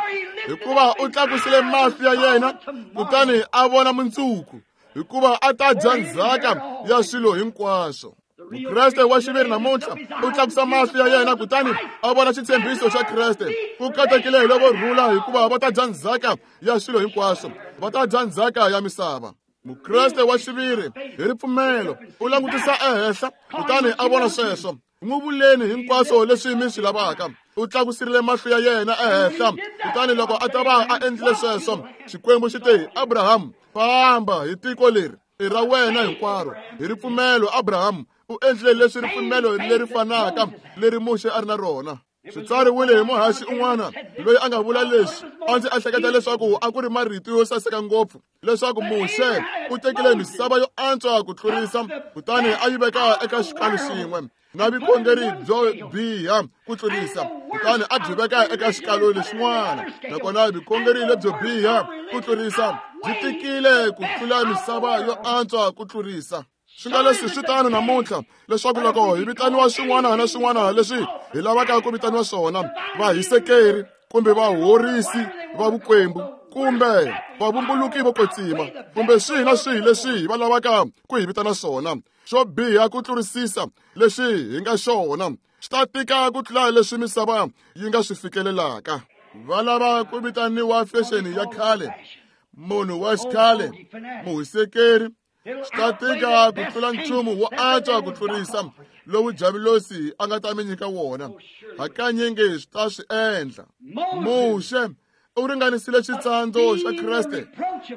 hikuva u tlakusile mahlo ya yena kutani a vona mundzuku, hikuva a ta dya ndzhaka ya swilo hinkwaswo. Mukreste wa xiviri namuntlha u tlakusa mahlo ya yena kutani a vona xitshembiso xa Kreste. Ku katekile hi lavo rhula, hikuva va ta dya ndzhaka ya swilo hinkwaswo, va ta dya ndzhaka ya misava. Mukreste wa xiviri hi ripfumelo u langutisa ehenhla kutani a vona sweswo. N'wi vuleni hinkwaswo leswi mi swi lavaka. U tlakusirile mahlo ya yena ehenhla kutani loko a ta va a endlile sweswo, Xikwembu xi te, Abraham, famba hi tiko leri i ra wena hinkwaro. Hi ripfumelo Abraham u endlile leswi ripfumelo leri fanaka leri Muxe a ri na rona. Swi tsariwile hi muhaxi un'wana loyi a nga vula leswi a ndzi ehleketa leswaku a ku ri marito yo saseka ngopfu, leswaku Muxe u tekile misava yo antswa ku tlurisa kutani a yi veka eka xikalu xin'we na vukhongeri byo biha ku tlurisa, kutani a byi veka eka xikalu lexin'wana. Nakona vukhongeri lebyo biha ku tlurisa byi tikile ku tlula misava yo antswa ku tlurisa. Swi nga leswi swi tano namuntlha, leswaku loko hi vitaniwa swin'wana na swin'wana leswi hi lavaka ku vitaniwa swona, vahisekeri kumbe vahorisi va vukwembu kumbe vavumbuluki vo kwetsima kumbe swihi na swihi leswi va lavaka ku hi vitana swona, xo biha ku tlurisisa leswi hi nga xona xi ta tika ku tlula leswi misava yi nga swi fikelelaka. Va lava ku vitaniwa fexeni ya khale, munhu wa xikhale, muhisekeri. Swi ta tika ku tlula nchumu wo antswa ku tlurisa lowu Javulosi a nga ta mi nyika wona. Hakanyingi swi ta swi endla. Muxe u ringanisile xitsandzo xa Kreste,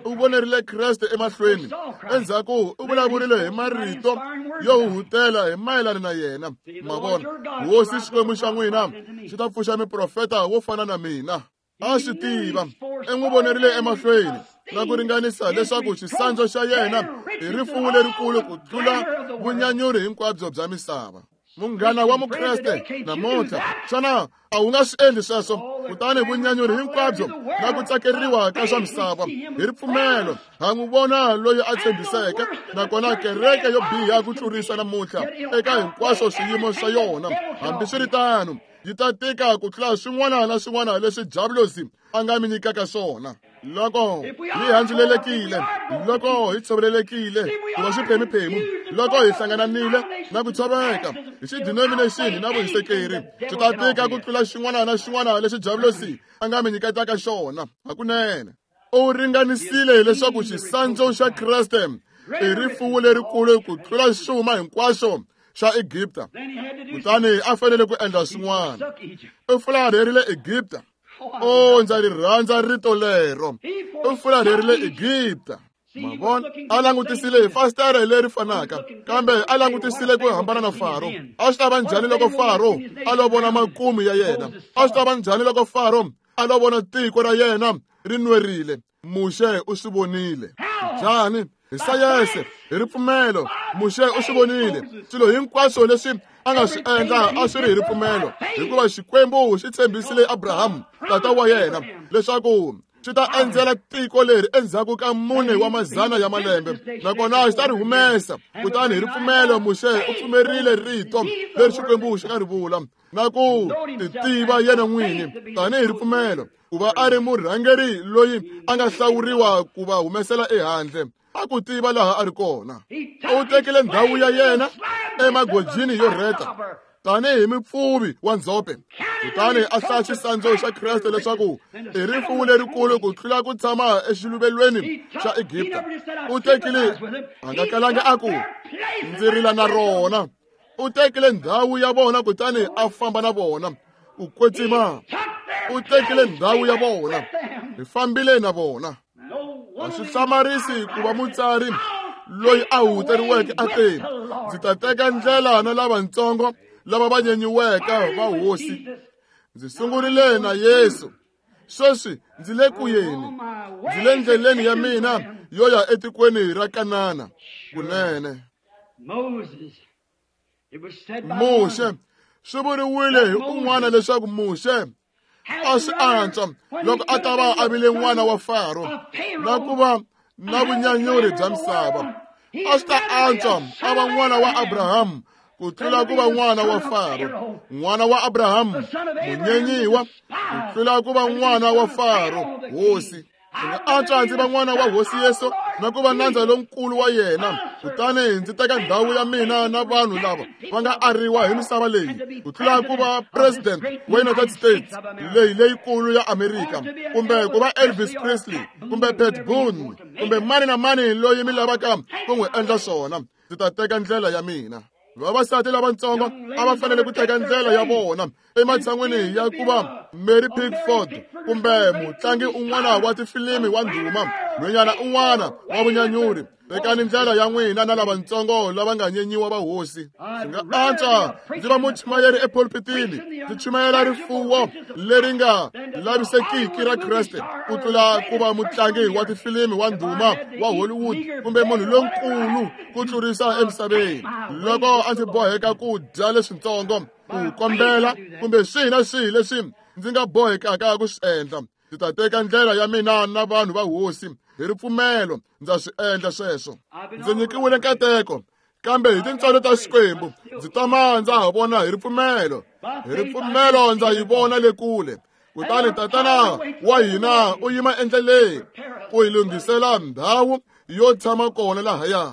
u vonerile Kreste emahlweni, endzhaku u vulavurile hi marito yo huhutela hi mayelana na yena. Ma vona, Hosi Xikwembu xa n'wina xi ta pfuxa miprofeta wo fana na mina. A swi tiva, i n'wi vonerile emahlweni na ku ringanisa leswaku xisandzu xa yena i rifuwo lerikulu ku tlula vunyanyuri hinkwabyo bya misava. Munghana wa Mukreste namuntlha, xana a wu nga swi endli sweswo? Kutani vunyanyuri hinkwabyo na ku tsakeriwa ka swa misava hi ripfumelo ha n'wi vona loyi a tshembiseke. Nakona kereke yo biha ku tlurisa namuntlha eka hinkwaswo swiyimo swa yona, hambiswiritano yi ta tika ku tlula swin'wana na swin'wana leswi Javulosi a nga mi nyikaka swona. Loko hi handzulelekile, loko hi tshovelelekile ku va swiphemuphemu, loko hi hlangananile na ku tshoveka hi xidinomination na vuhisekeri, swi ta tika ku tlula xin'wana na xin'wana lexi Javulosi a nga mi nyiketaka xona. Hakunene u ringanisile leswaku xisandzu xa Kreste i rifuwo lerikulu ku tlula xuma hinkwaxo xa Egipta, kutani a fanele ku endla swin'wana. U fularherile Egipta. O, ndza ri rhandza rito lero. U fularherile Egipta. Ma vona, a langutisile hi fasitere leri fanaka, kambe a langutisile ku hambana na Faro. A swi ta va njhani loko Faro a lo vona makumu ya yena? A swi ta va njhani loko Faro a lo vona tiko ra yena ri nwerile? Muxe u swi vonile. Njhani? Hi sayense, hi ripfumelo, Muxe u swi vonile. Swilo hinkwaswo leswi a nga swi endla a swi ri hi ripfumelo, hikuva Xikwembu xi tshembisile Abraham tata wa yena leswaku xi ta endzela tiko leri endzhaku ka mune wa mazana ya malembe, nakona xi ta ri humesa. Kutani hi ripfumelo Muxe u pfumerile rito leri Xikwembu xi nga ri vula na ku titiva yena n'wini tanihi ripfumelo, ku va a ri murhangeri loyi a nga hlawuriwa ku va humesela ehandle. A ku tiva laha a ri kona. U tekile ndhawu ya yena emagojini yo rheta tanihi mupfuvi wa ndzhope, kutani a hlaya xisandzu xa Kreste leswaku i rifuwo lerikulu ku tlula ku tshama exiluvelweni xa Egipta. U tekile, a nga kalanga a ku ndzi rila na rona. U tekile ndhawu ya vona kutani a famba na vona. U kwetsima, u tekile ndhawu ya vona, hi fambile na vona. A swi hlamarisi ku va mutsari loyi a huhuteriweke a te, ndzi ta teka ndlela na lavatsongo lava va nyenyiweke va hosi. Ndzi sungurile na Yesu, Sweswi ndzi le ku yeni, ndzi le ndleleni ya mina yo ya etikweni ra Kanana. Kunene Muxe, swi vuriwile hi un'wana leswaku Muxe a swi antswa loko a ta va a vile n'wana wa Faro na ku va na vunyanyuri bya misava. A swi ta antswa a va n'wana wa Abrahamu ku tlula ku va n'wana wa Faro. N'wana wa Abrahamu munyenyiwa ku tlula ku va n'wana wa Faro hosi. Ndzi nga antswa ndzi va n'wana wa Hosi Yesu na ku va nandza lonkulu wa yena, kutani ndzi teka ndhawu ya mina na vanhu lava va nga ariwa hi misava leyi, ku tlula ku va president wa United States leyi leyikulu ya Amerika, kumbe ku va Elvis Presley, kumbe Pat Boone, kumbe mani na mani loyi mi lavaka ku n'wi endla swona. Ndzi ta teka ndlela ya mina. Vavasati lavatsongo a va fanele ku teka ndlela ya vona ematshan'wini ya ku va Mary Pickford kumbe mutlangi un'wana wa tifilimi wa ndhuma, nhwenyana un'wana wa vunyanyuri. Tekani ndlela ya n'wina na lavatsongo lava nga nyenyiwa va hosi. Swi nga antswa ndzi va muchumayeri epulpitini, ndzi chumayela rifuwo leri nga lavisekiki ra Kreste, ku tlula ku va mutlangi wa tifilimi wa ndhuma wa Hollywood kumbe munhu lonkulu ku tlurisa emisaveni. Loko a ndzi boheka ku dya leswitsongo, ku kombela kumbe swihi na swihi leswi ndzi nga bohekaka ku swi endla, ndzi ta teka ndlela ya mina na vanhu va hosi. Hi ripfumelo ndza swi endla sweswo. Ndzi nyikiwile nkateko, kambe hi tintswalo ta Xikwembu ndzi tama ndza ha vona hi ripfumelo. Hi ripfumelo ndza yi vona le kule. Kutani Tatana wa hina u yima endleleni ku hi lunghisela ndhawu yo tshama kona lahaya.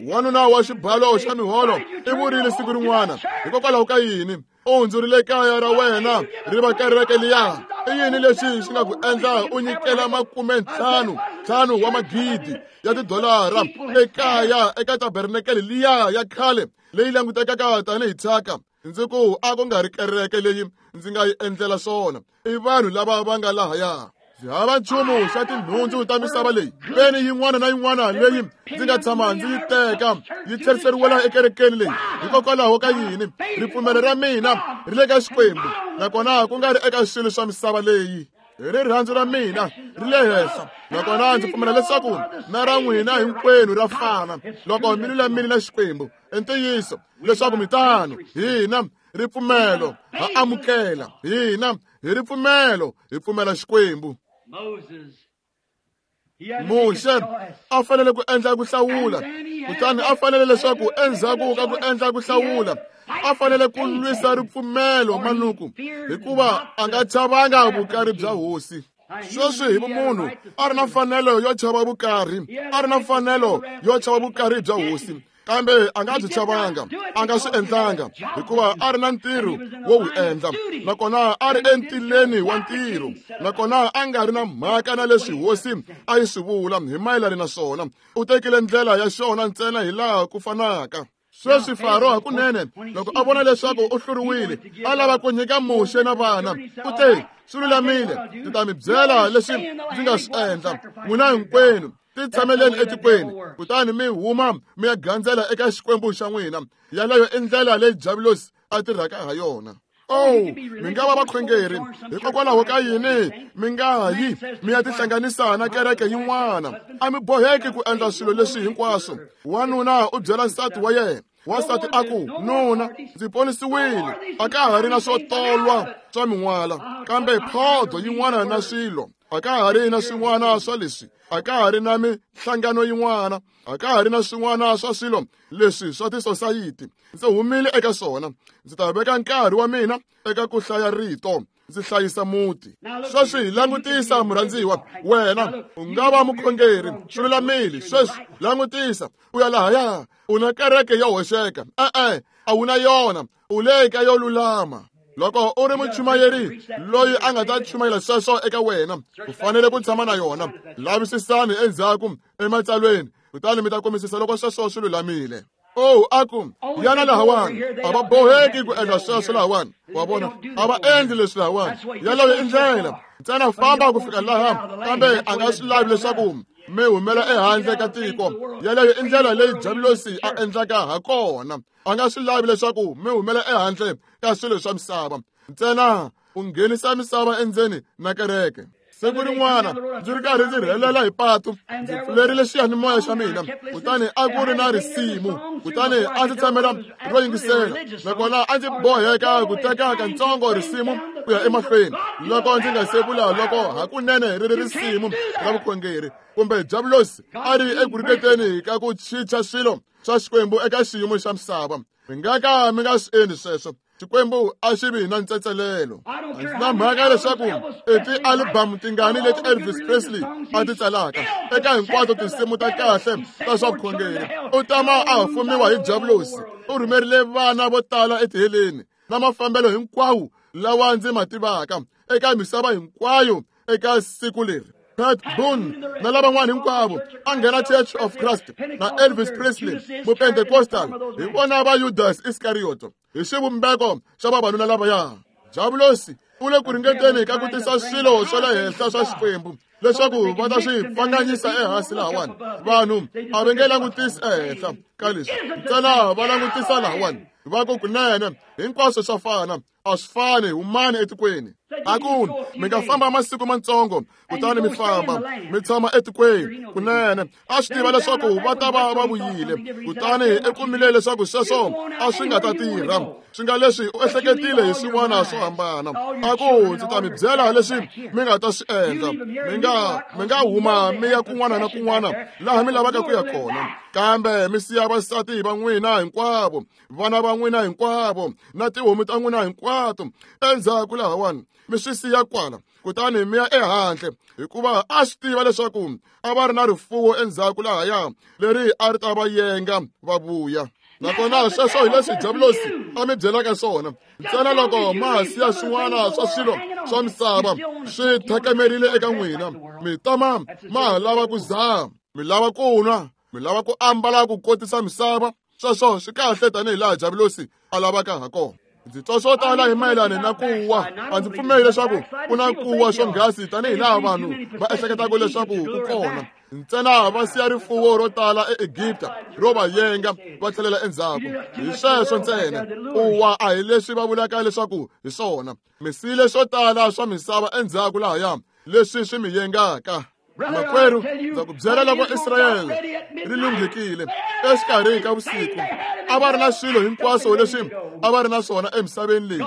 Wanuna wa xibalo xa miholo i vurile siku rin'wana, hikokwalaho ka yini u hundzurile kaya ra wena ri va kereke liya? I yini lexi xi nga ku endla u nyikela makume ntlhanu ntlhanu wa magidi ya tidolara ekaya eka tabernakele liya ya khale leyi langutekaka tanihi thyaka? Ndzi ku a ku nga ri kereke leyi ndzi nga yi endlela swona, i vanhu lava va nga lahaya. Ndzi hava nchumu xa tinhundzu ta misava leyi. Peni yin'wana na yin'wana leyi ndzi nga tshama ndzi yi teka yi tlheriseriwela ekerekeni leyi. Hikokwalaho ka yini? Ripfumelo ra mina ri le ka Xikwembu, nakona ku nga ri eka swilo swa misava leyi. Hi rirhandzu ra mina ri le henhla, nakona ndzi pfumela leswaku na ra n'wina hinkwenu ra fana loko mi lulamile na Xikwembu. I ntiyiso leswaku mi tano. Hina ripfumelo ha amukela, hina hi ripfumelo hi pfumela Xikwembu. Muxe a fanele ku endla ku hlawula, kutani a fanele leswaku endzhaku ka ku endla ku hlawula a fanele ku lwisa ripfumelo manuku, hikuva a nga chavanga vukari bya hosi. Sweswi hi vumunhu a ri na mfanelo yo chava vukari, a ri na mfanelo yo chava vukari bya hosi, kambe a nga byi chavanga, a nga swi endlanga, hikuva a ri na ntirho wo wu endla, nakona a ri entileni wa ntirho, nakona a nga ri na mhaka na leswi hosi a yi swi vula hi mayelana na swona. U tekile ndlela ya xona ntsena hi laha ku fanaka. Sweswi Faro hakunene loko a vona leswaku u hluriwile, a lava ku nyika Muxe na vana, u te, swi lulamile, ndzi ta mi byela leswi ndzi nga swi endla. N'wina hinkwenu ti tshameleni etikweni, kutani mi huma mi ya gandzela eka Xikwembu xa n'wina. Yaleyo i ndlela leyi Diabulosi a tirhaka ha yona. Oh, mi nga va vakhongeri, hikokwalaho ka yini mi nga yi mi ya tihlanganisa na kereke yin'wana? A mi boheki ku endla swilo leswi hinkwaswo. Wanuna u byela nsati wa yena, wansati a ku, nuna, ndzi ponisiwile, a ka ha ri na swo tolwa swa min'wala, kambe phodo yin'wana na swilo, a ka ha ri na swin'wana swa leswi, a ka ha ri na mihlangano yin'wana, a ka ha ri na swin'wana swa swilo leswi swa tisosayiti. Ndzi humile eka swona, ndzi ta veka nkarhi wa mina eka ku hlaya rito, ndzi hlayisa muti. Sweswi langutisa murhandziwa, wena u nga va mukhongeri, swi lulamile. Sweswi langutisa, u ya lahaya, u na kereke yo hoxeka. E-e, a wu na yona, u le ka yo lulama. Loko u ri muchumayeri loyi a nga ta chumayela sweswo eka wena, u fanele ku tshama na yona. Lavisisani endzhaku ematsalweni, kutani mi ta kumisisa loko sweswo swi lulamile. Oh, a ku yana lahawani, a va boheki ku endla sweswo lahawani. Wa vona, a va endli leswi lahawani. Yaleyo i ndlela ntsena, famba ku fika laha, kambe a nga swi lavi leswaku mi humela ehandle ka tiko. Yaleyo i ndlela leyi Diabulosi a endlaka ha kona. A nga swi lavi leswaku mi humela ehandle ka swilo swa misava. Ntsena U nghenisa misava endzeni na kereke. Siku rin'wana ndzi ri karhi ndzi rhelela hi patu, ndzi pfulerile xiyanimoya xa mina, kutani a ku ri na risimu, kutani a ndzi tshamela ro yingisela, nakona a ndzi boheka ku teka katsongo risimu ku ya emahlweni loko ndzi nga se vula loko hakunene ri ri risimu ra vukhongeri kumbe Diabulosi a ri eku ringeteni ka ku chicha swilo swa Xikwembu eka xiyimo xa misava. Mi nga ka mi nga swi endli sweswo. Xikwembu a xi vi na ntsetselelo. Na mhaka leswaku i ti-album tingani leti Elvis Presley a ti tsalaka eka hinkwato tinsimu ta kahle ta swa vukhongeri, u tama a fumiwa hi Diabulosi. U rhumerile vana vo tala etiheleni na mafambelo hinkwawo lawa ndzi ma tivaka eka misava hinkwayo eka siku leri. Pat Boone na lavan'wana hinkwavo a nghena Church of Christ na Elvis Presley Mupentecostal hi vona va Judas Iskarioto hi xivumbeko xa vavanuna lavaya. Diabulosi u le ku ringeteni ka ku tisa swilo swa le henhla swa Xikwembu leswaku va ta swi pfanganyisa ehansi lahawani. Vanhu a va nge langutisi ehenhla ka leswi, ntsena va langutisa lahawani va ku kunene hinkwaswo swa fana. A swi fani, humani etikweni. A ku mi nga famba masiku matsongo kutani mi famba mi tshama etikweni kunene. A swi tiva leswaku va ta va va vuyile, kutani i kumile leswaku sweswo a swi nga ta tirha. Swi nga leswi u ehleketile hi swin'wana swo hambana. A ku ndzi ta mi byela leswi mi nga ta swi endla. Mi nga mi nga huma mi ya kun'wana na kun'wana laha mi lavaka ku ya kona, kambe mi siya vasati va n'wina hinkwavo, vana va n'wina hinkwavo na tihomu ta n'wina hinkwato endzhaku lahawani, mi swi siya kwala, kutani mi ya ehandle. Hikuva a swi tiva leswaku a va ri na rifuwo endzhaku lahaya leri a ri ta va yenga va vuya. Nakona sweswo hi leswi Diabulosi a mi byelaka swona. Ntsena loko ma ha siya swin'wana swa swilo swa misava swi thakemerile eka n'wina, mi tama ma ha lava ku zaha, mi lava ku nwa, mi lava ku ambala ku kotisa misava. Sweswo swi kahle tanihi laha Diabulosi a lavaka ha kona. Ndzi twa swo tala hi mayelana na ku wa. A ndzi pfumeli leswaku ku na ku wa swonghasi tanihi laha vanhu va ehleketaka leswaku ku kona. Ntsena va siya rifuwo ro tala eEgipta ro va yenga va tlhelela endzhaku. Hi sweswo ntsena. Ku wa a hi leswi va vulaka leswaku hi swona. Mi siyile swo tala swa misava endzhaku lahaya leswi swi mi yengaka. Makwerhu, ndza ku byela loko Israyele ri lunghekile exikarhi ka vusiku, a va ri na swilo hinkwaswo leswi a va ri na swona emisaveni leyi,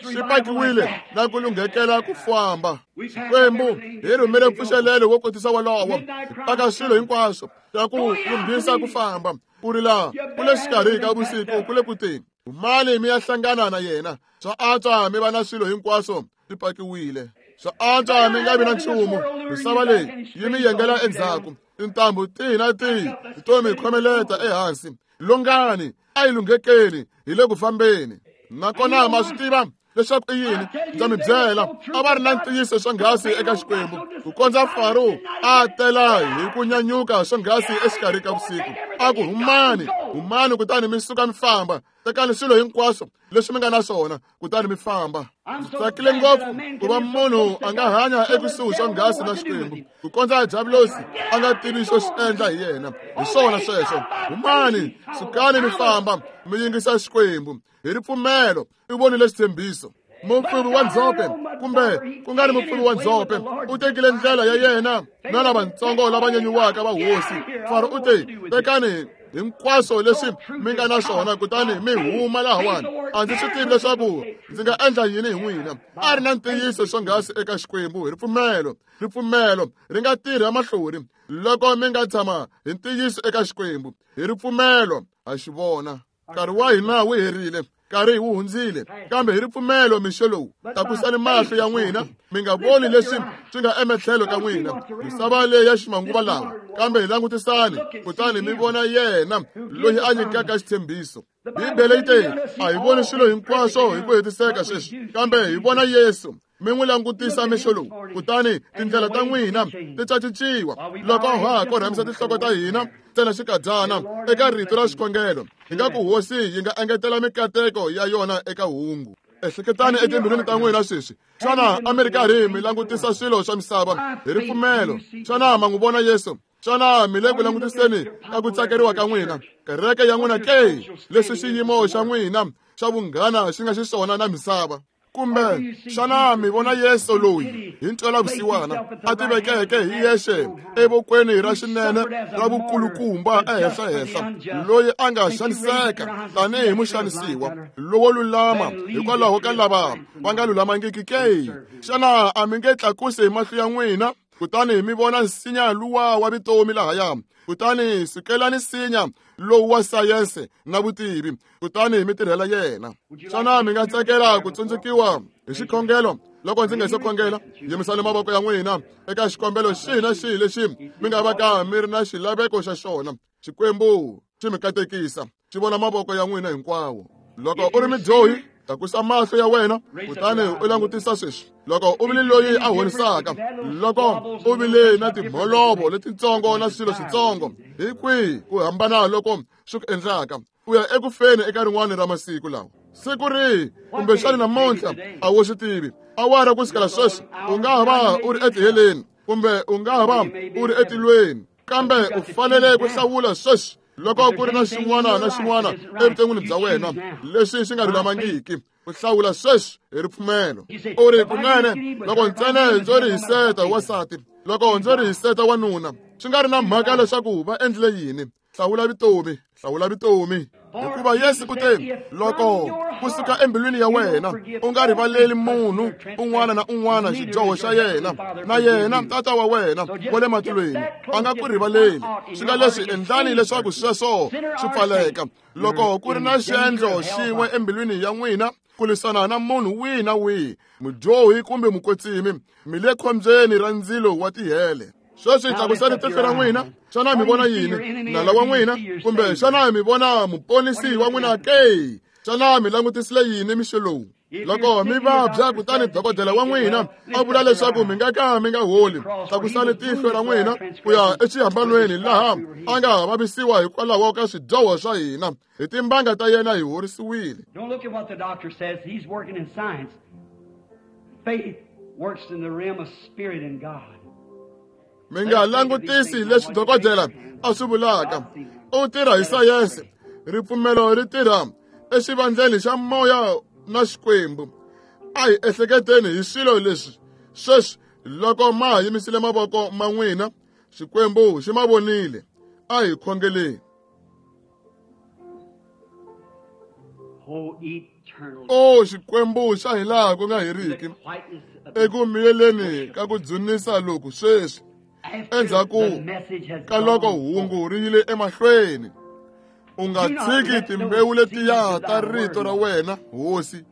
swi pakiwile na ku lunghekela ku famba. Xikwembu hi rhumele mpfuxelelo wo kotisa wolowo, hi paka swilo hinkwaswo swa ku lunghisa ku famba. Ku ri laha ku le xikarhi ka vusiku ku le ku teni, humani mi ya hlangana na yena. Swa antswa mi va na swilo hinkwaswo swi pakiwile. Swa antswa mi nga vi na nchumu. Misava leyi yi mi yengela endzhaku. Tintambu tihi na tihi to mi khomeleta ehansi. Longani a yi lunghekeli, hi le ku fambeni. Nakona ma swi tiva leswaku i yini? Ndza mi byela, a va ri na ntiyiso swonghasi eka Xikwembu ku kondza Faro a tela hi ku nyanyuka swonghasi exikarhi ka vusiku. A ku humani, humani kutani mi suka mi famba. Tekani swilo hinkwaswo leswi mi nga na swona kutani mi famba. Ndzi tsakile ngopfu ku va munhu a nga hanya ekusuhi swonghasi na Xikwembu ku kondza Diabulosi a nga tivi xo xi endla hi yena. Hi swona sweswo. Humani, sukani mi famba, mi yingisa Xikwembu. Hi ripfumelo i vonile xitshembiso. Mupfuvi wa ndzhope kumbe ku nga ri mupfuvi wa ndzhope u tekile ndlela ya yena na lavatsongo lava nyenyiwaka va hosi. Faro u te, tekani hinkwaswo leswi mi nga na swona kutani mi huma lahawani. A ndzi swi tivi leswaku ndzi nga endla yini hi n'wina. A ri na ntiyiso swonghasi eka Xikwembu hi ripfumelo. Ripfumelo ri nga tirha mahlori loko mi nga tshama hi ntiyiso eka Xikwembu. Hi ripfumelo ha xi vona. Nkarhi wa hina wu herile, nkarhi wu hundzile, kambe hi ripfumelo mixo lowu tlakusani mahlo ya n'wina, mi nga voni leswi swi nga ematlhelo ka n'wina, misava leyi ya ximanguva lawa, kambe hi langutisani kutani mi vona yena loyi a nyikaka xitshembiso. Bibele yi te, a hi voni swilo hinkwaswo hi ku hetiseka sweswi, kambe hi vona Yesu. Mi n'wi langutisa mixo lowu, kutani tindlela ta n'wina ti cacinciwa. Loko ha ha korhamisa tinhloko ta hina ntsena xikadyana eka rito ra xikhongelo, hi nga ku hosi yi nga engetela mikateko ya yona eka hungu. Ehleketani etimbilwini ta n'wina sweswi. Xana a mi ri karhi mi langutisa swilo swa misava hi ripfumelo? Xana ma n'wi vona Yesu? Xana mi le ku langutiseni ka ku tsakeriwa ka n'wina, kereke ya n'wina ke? Leswi xiyimo xa n'wina xa vunghana xi nga xiswona na misava, Kumbe xana mi vona Yesu loyi hi ntwelavusiwana a tivekeke hi yexe evokweni ra xinene ra vukulukumba ehenhlahenhla, loyi a nga xaniseka tanihi muxanisiwa lowo lulama hikwalaho ka lava va nga lulamangiki ke? Xana a mi nge tlakusi hi mahlo ya n'wina kutani mi vona nsinya luwa wa vutomi lahaya? Kutani sukelani nsinya lowu wa sayense na vutivi, kutani mi tirhela yena. Xana mi nga tsakela ku tsundzukiwa hi xikhongelo? Loko ndzi nga se khongela, yimisani mavoko ya n'wina eka xikombelo xihi na xihi lexi mi nga va ka mi ri na xilaveko xa xona. Xikwembu xi mi katekisa, xi vona mavoko ya n'wina hinkwawo. Loko u ri mudyohi, tlakusa mahlo ya wena kutani u langutisa sweswi. Loko u vile loyi a honisaka, loko u vile na timholovo letitsongo na swilo switsongo, hi kwihi ku hambana loko swi ku endlaka u ya eku feni eka rin'wana ra masiku lawa? Siku rihi kumbexana namuntlha a wu swi tivi. Awara ku sukela sweswi u nga ha va u ri etiheleni kumbe u nga ha va u ri etilweni, kambe u fanele ku hlawula sweswi. Loko ku ri na xin'wana na xin'wana evuton'wini bya wena lexi xi nga lulamangiki, u hlawula sweswi hi ripfumelo. U ri, kunene loko ntsena ndzo ri hiseta wansati, loko ndzo ri hiseta wanuna, swi nga ri na mhaka leswaku va endlile yini, hlawula vutomi, hlawula vutomi. Hikuva Yesu u te, loko kusuka embilwini ya wena u nga rivaleli munhu un'wana na un'wana xidyoho xa yena, na yena Tata wa wena wa le matilweni a nga ku rivaleli. Swi nga leswi endlani leswaku sweswo swi pfaleka. Loko ku ri na xiendlo xin'we embilwini ya n'wina ku lwisana na munhu wihi na wihi, mudyohi kumbe mukwetsimi, mi le khombyeni ra ndzilo wa tihele. Sweswi tlakusani tihlo ra n'wina. Xana mi vona yini? Nala wa n'wina? Kumbe xana mi vona muponisi wa n'wina ke? Xana mi langutisile yini mixo lowu? Loko mi vabya kutani dokodela wa n'wina a vula leswaku mi nga ka mi nga holi, tlakusani tihlo ra n'wina ku ya exihambanweni laha a nga vavisiwa hikwalaho ka swidyoho swa hina. Hi timbanga ta yena hi horisiwile. Don't look at what the doctor says. He's working in science. Faith works in the realm of spirit and God. Mi nga langutisi leswi dokodela a swi vulaka. U tirha hi sayense. Ripfumelo ri tirha exivandleni xa moya na Xikwembu. A hi ehleketeni hi swilo leswi sweswi. Loko ma yimisile mavoko ma n'wina, Xikwembu xi ma vonile. A hi khongeleni. O Xikwembu xa hilaha ku nga heriki, eku miyeleni ka ku dzunisa loku sweswi, endzhaku ka loko hungu ri yile emahlweni, u nga tshiki timbewu letiya ta rito ra wena, Hosi,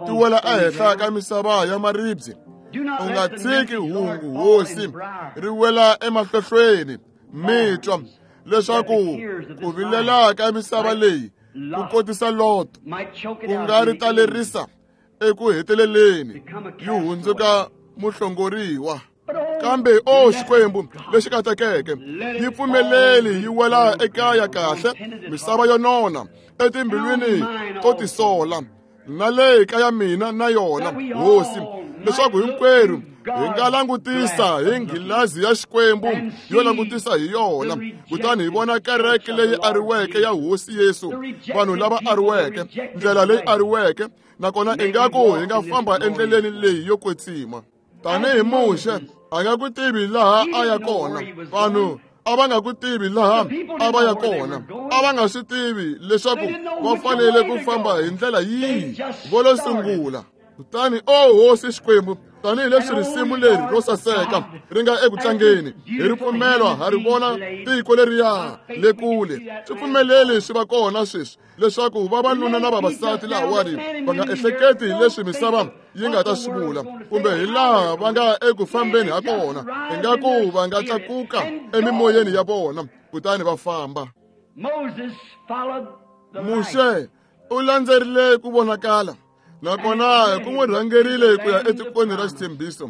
ti wela ehenhla ka misava ya maribye. U nga tshiki hungu, Hosi, ri wela emahlohlweni mitwa, leswaku ku vilela ka misava leyi ku kotisa Loto, ku nga ri talerisa eku heteleleni yi hundzuka muhlongoriwa. Kambe o Xikwembu lexi katekeke, yi pfumeleli yi wela ekaya kahle misava yo nona etimbilwini to tisola, na le kaya mina na yona, Hosi, leswaku hinkwerhu hi nga langutisa hi nghilazi ya Xikwembu yo langutisa hi yona, kutani hi vona kereke leyi ariweke ya Hosi Yesu, vanhu lava ariweke, ndlela leyi ariweke, nakona ingaku hi nga famba endleleni leyi yo kwetsima. Tanihi Muxe a nga ku tivi laha a ya kona, vanhu a va nga ku tivi laha a va ya kona, a va nga swi tivi leswaku va fanele ku famba hi ndlela yihi vo lo sungula. Kutani o Hosi Xikwembu, tanihileswi risimu leri ro saseka ri nga eku tlangeni, hi ripfumelo ha ri vona tiko leriya le kule. Swi pfumeleli swi va kona sweswi leswaku vavanuna na vavasati lahawani va nga ehleketi hi leswi misava yi nga ta swi vula, kumbe hi laha va nga eku fambeni ha kona, ingaku va nga tlakuka emimoyeni ya vona kutani va famba. Muxe u landzerile ku vonakala, nakona ku n'wi rhangerile ku ya etikweni ra xitshembiso.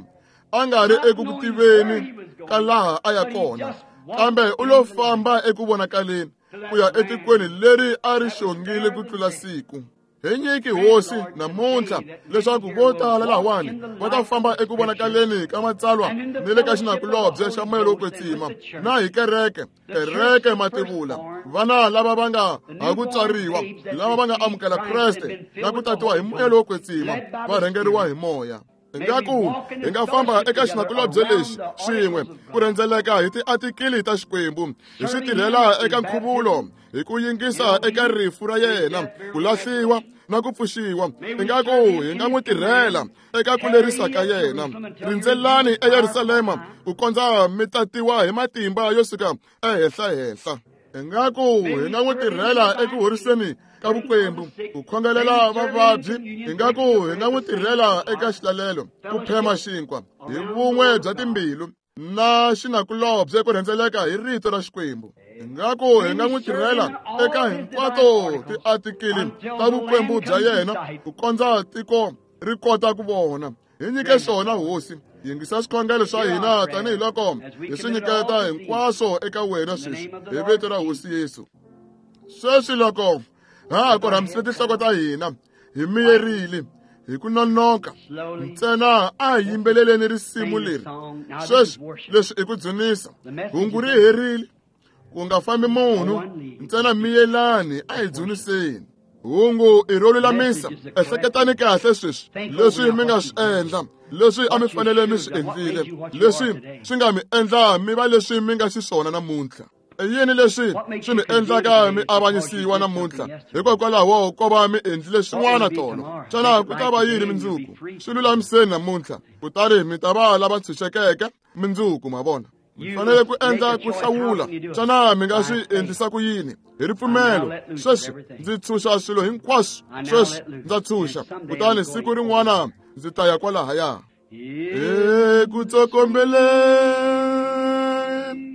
A nga ri eku ku tiveni ka laha a ya kona, kambe u lo famba eku vonakaleni ku ya etikweni leri a ri xongile ku tlula siku. Hi nyiki hosi namuntlha leswaku vo tala lahawani va ta famba eku vonakaleni ka matsalwa ni le ka xinakulobye xa moya lowo kwetsima na hi kereke kereke mativula vana lava va nga ha ku tswariwa lava va nga amukela Kreste na ku tatiwa hi moya lowo kwetsima va rhangeriwa hi moya. Ingaku hi nga famba eka xinakulobye lexi swin'we ku rhendzeleka hi tiatikili ta Xikwembu hi swi tirhela eka nkhuvulo hi ku yingisa eka rifu ra yena ku lahliwa na ku pfuxiwa. Ingaku hi nga n'wi tirhela eka ku lerisa ka yena. Rindzelani eYerusalema ku kondza mi tatiwa hi matimba yo suka ehenhla-henhla. Ingaku hi nga n'wi tirhela eku horiseni ka vukwembu ku khongelela vavabyi. Ingaku hi nga n'wi tirhela eka xilalelo ku phema xinkwa hi vun'we bya timbilu na xinakulobye ku rhendzeleka hi rito ra Xikwembu. Ingaku hi nga n'wi tirhela eka hinkwato tiatikili ta vukwembu bya yena ku kondza tiko ri kota ku vona. Hi nyike swona hosi. Yingisa swikhongelo swa hina tanihiloko hi swi nyiketa hinkwaswo eka wena sweswi hi vito ra hosi Yesu. Sweswi loko ha ha korhamisile tinhloko ta hina hi miyerile hi ku nonoka ntsena a hi yimbeleleni risimu leri sweswi leswi i ku dzunisa. Hungu ri herile ku nga fambi munhu ntsena miyelani a hi dzuniseni. Hungu i ro lulamisa. Ehleketani kahle sweswi leswi mi nga swi endla leswi a mi fanele mi swi endlile leswi swi nga mi endla mi va leswi mi nga xiswona namuntlha. I yini leswi swi mi endlaka mi avanyisiwa namuntlha hikokwalaho ko va mi endlile swin'wana tolo? Xana ku ta va yini mundzuku? Swi lulamiseni namuntlha kutani mi ta va lava ntshunxekeke mundzuku. Ma vona, mi fanele ku endla ku hlawula. Xana mi nga swi endlisa ku yini? Hi ripfumelo. Sweswi ndzi tshunxa swilo hinkwaswo. Sweswi ndza tshunxa kutani siku rin'wana ndzi ta ya kwalahaya. Eku tsokombeleni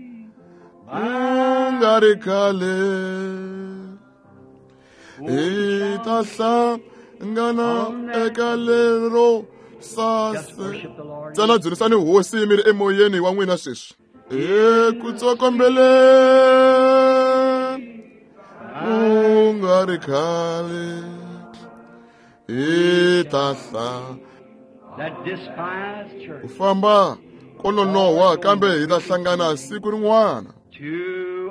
ku nga ri khale hi ta hlangana eka lero sase. Ntsena dzunisani hosi mi ri emoyeni wa n'wina sweswi. Eku tsokombeleni ku nga ri khale hi ta hlangana. Ku famba ko nonoha kambe hi ta hlangana siku rin'wana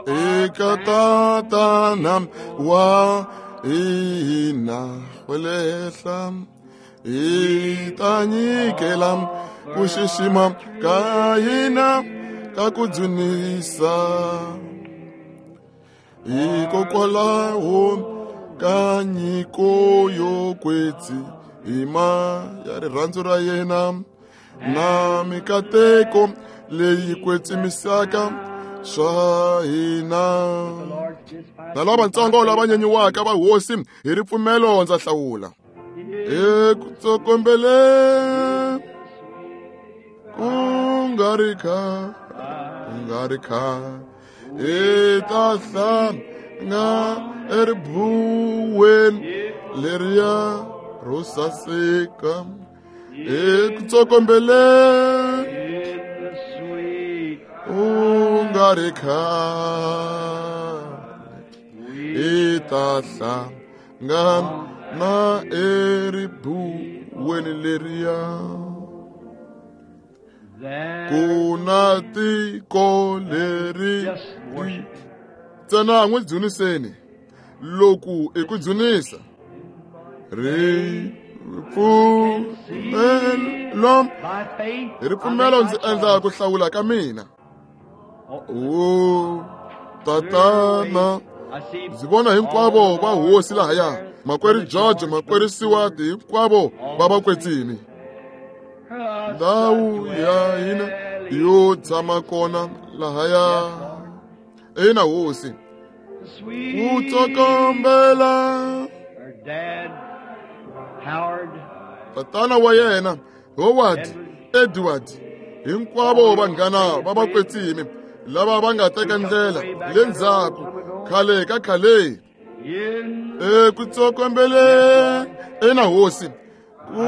eka Tatana wa hina wa le henhla. Hi ta nyikela ku xixima ka hina ka ku dzunisa hikokwalaho ka nyiko yo kwetsima ya rirhandzu ra yena na mikateko leyi kwetsimisaka swa hina. Na lavatsongo lava nyenyiwaka va hosi hi ripfumelo ndza hlawula. Eku tsokombeleni ku nga ri khale ku nga ri khale hi ta hlangana eribuweni leriya ro saseka. Eku tsokombeleni ku nga ri khale hi ta hlangana eribuweni leriya. Ku na tiko leri ntsena n'wi dzuniseni. Loku i ku dzunisa ripfumelo. Hi ripfumelo ndzi endla ku hlawula ka mina. O Tatana, ndzi vona hinkwavo va hosi lahaya, makwerhu George, makwerhu Siwati, hinkwavo va vakwetsimi. Ndhawu ya hina yo tshama kona lahaya. Ina hosi ku tsokombela tatana wa yena Howard, Edward, hinkwavo vanghana va vakwetsimi lava va nga teka ndlela le ndzhaku khale ka khale. Eku tsokombeleni ina hosi ku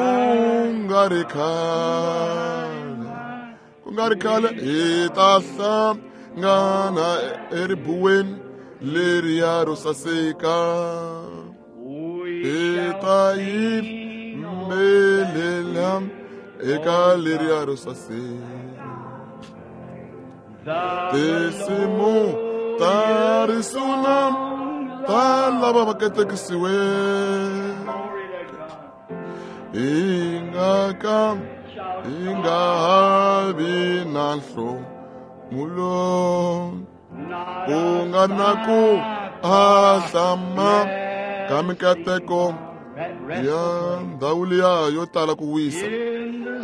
nga ri khale ku nga ri khale hi ta hlangana eribuweni leriya ro saseka. Hi ta yimbelela eka leriya ro saseka. Tinsimu ta risuna ta lava va katekisiweke. Hi nga ka hi nga ha vi na nhlomulo, ku nga na ku ahlama ka mikateko ya ndhawu liya yo tala ku wisa.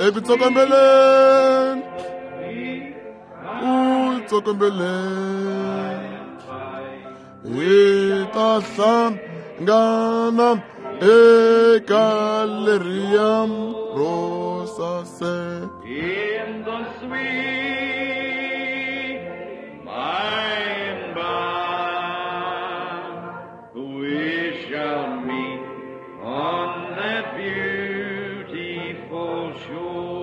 Eku tsokombeleni, ku tsokombeleni, hi ta hlangana eka leriya ro saseka. In the sweet by and by, we shall meet on that beautiful shore.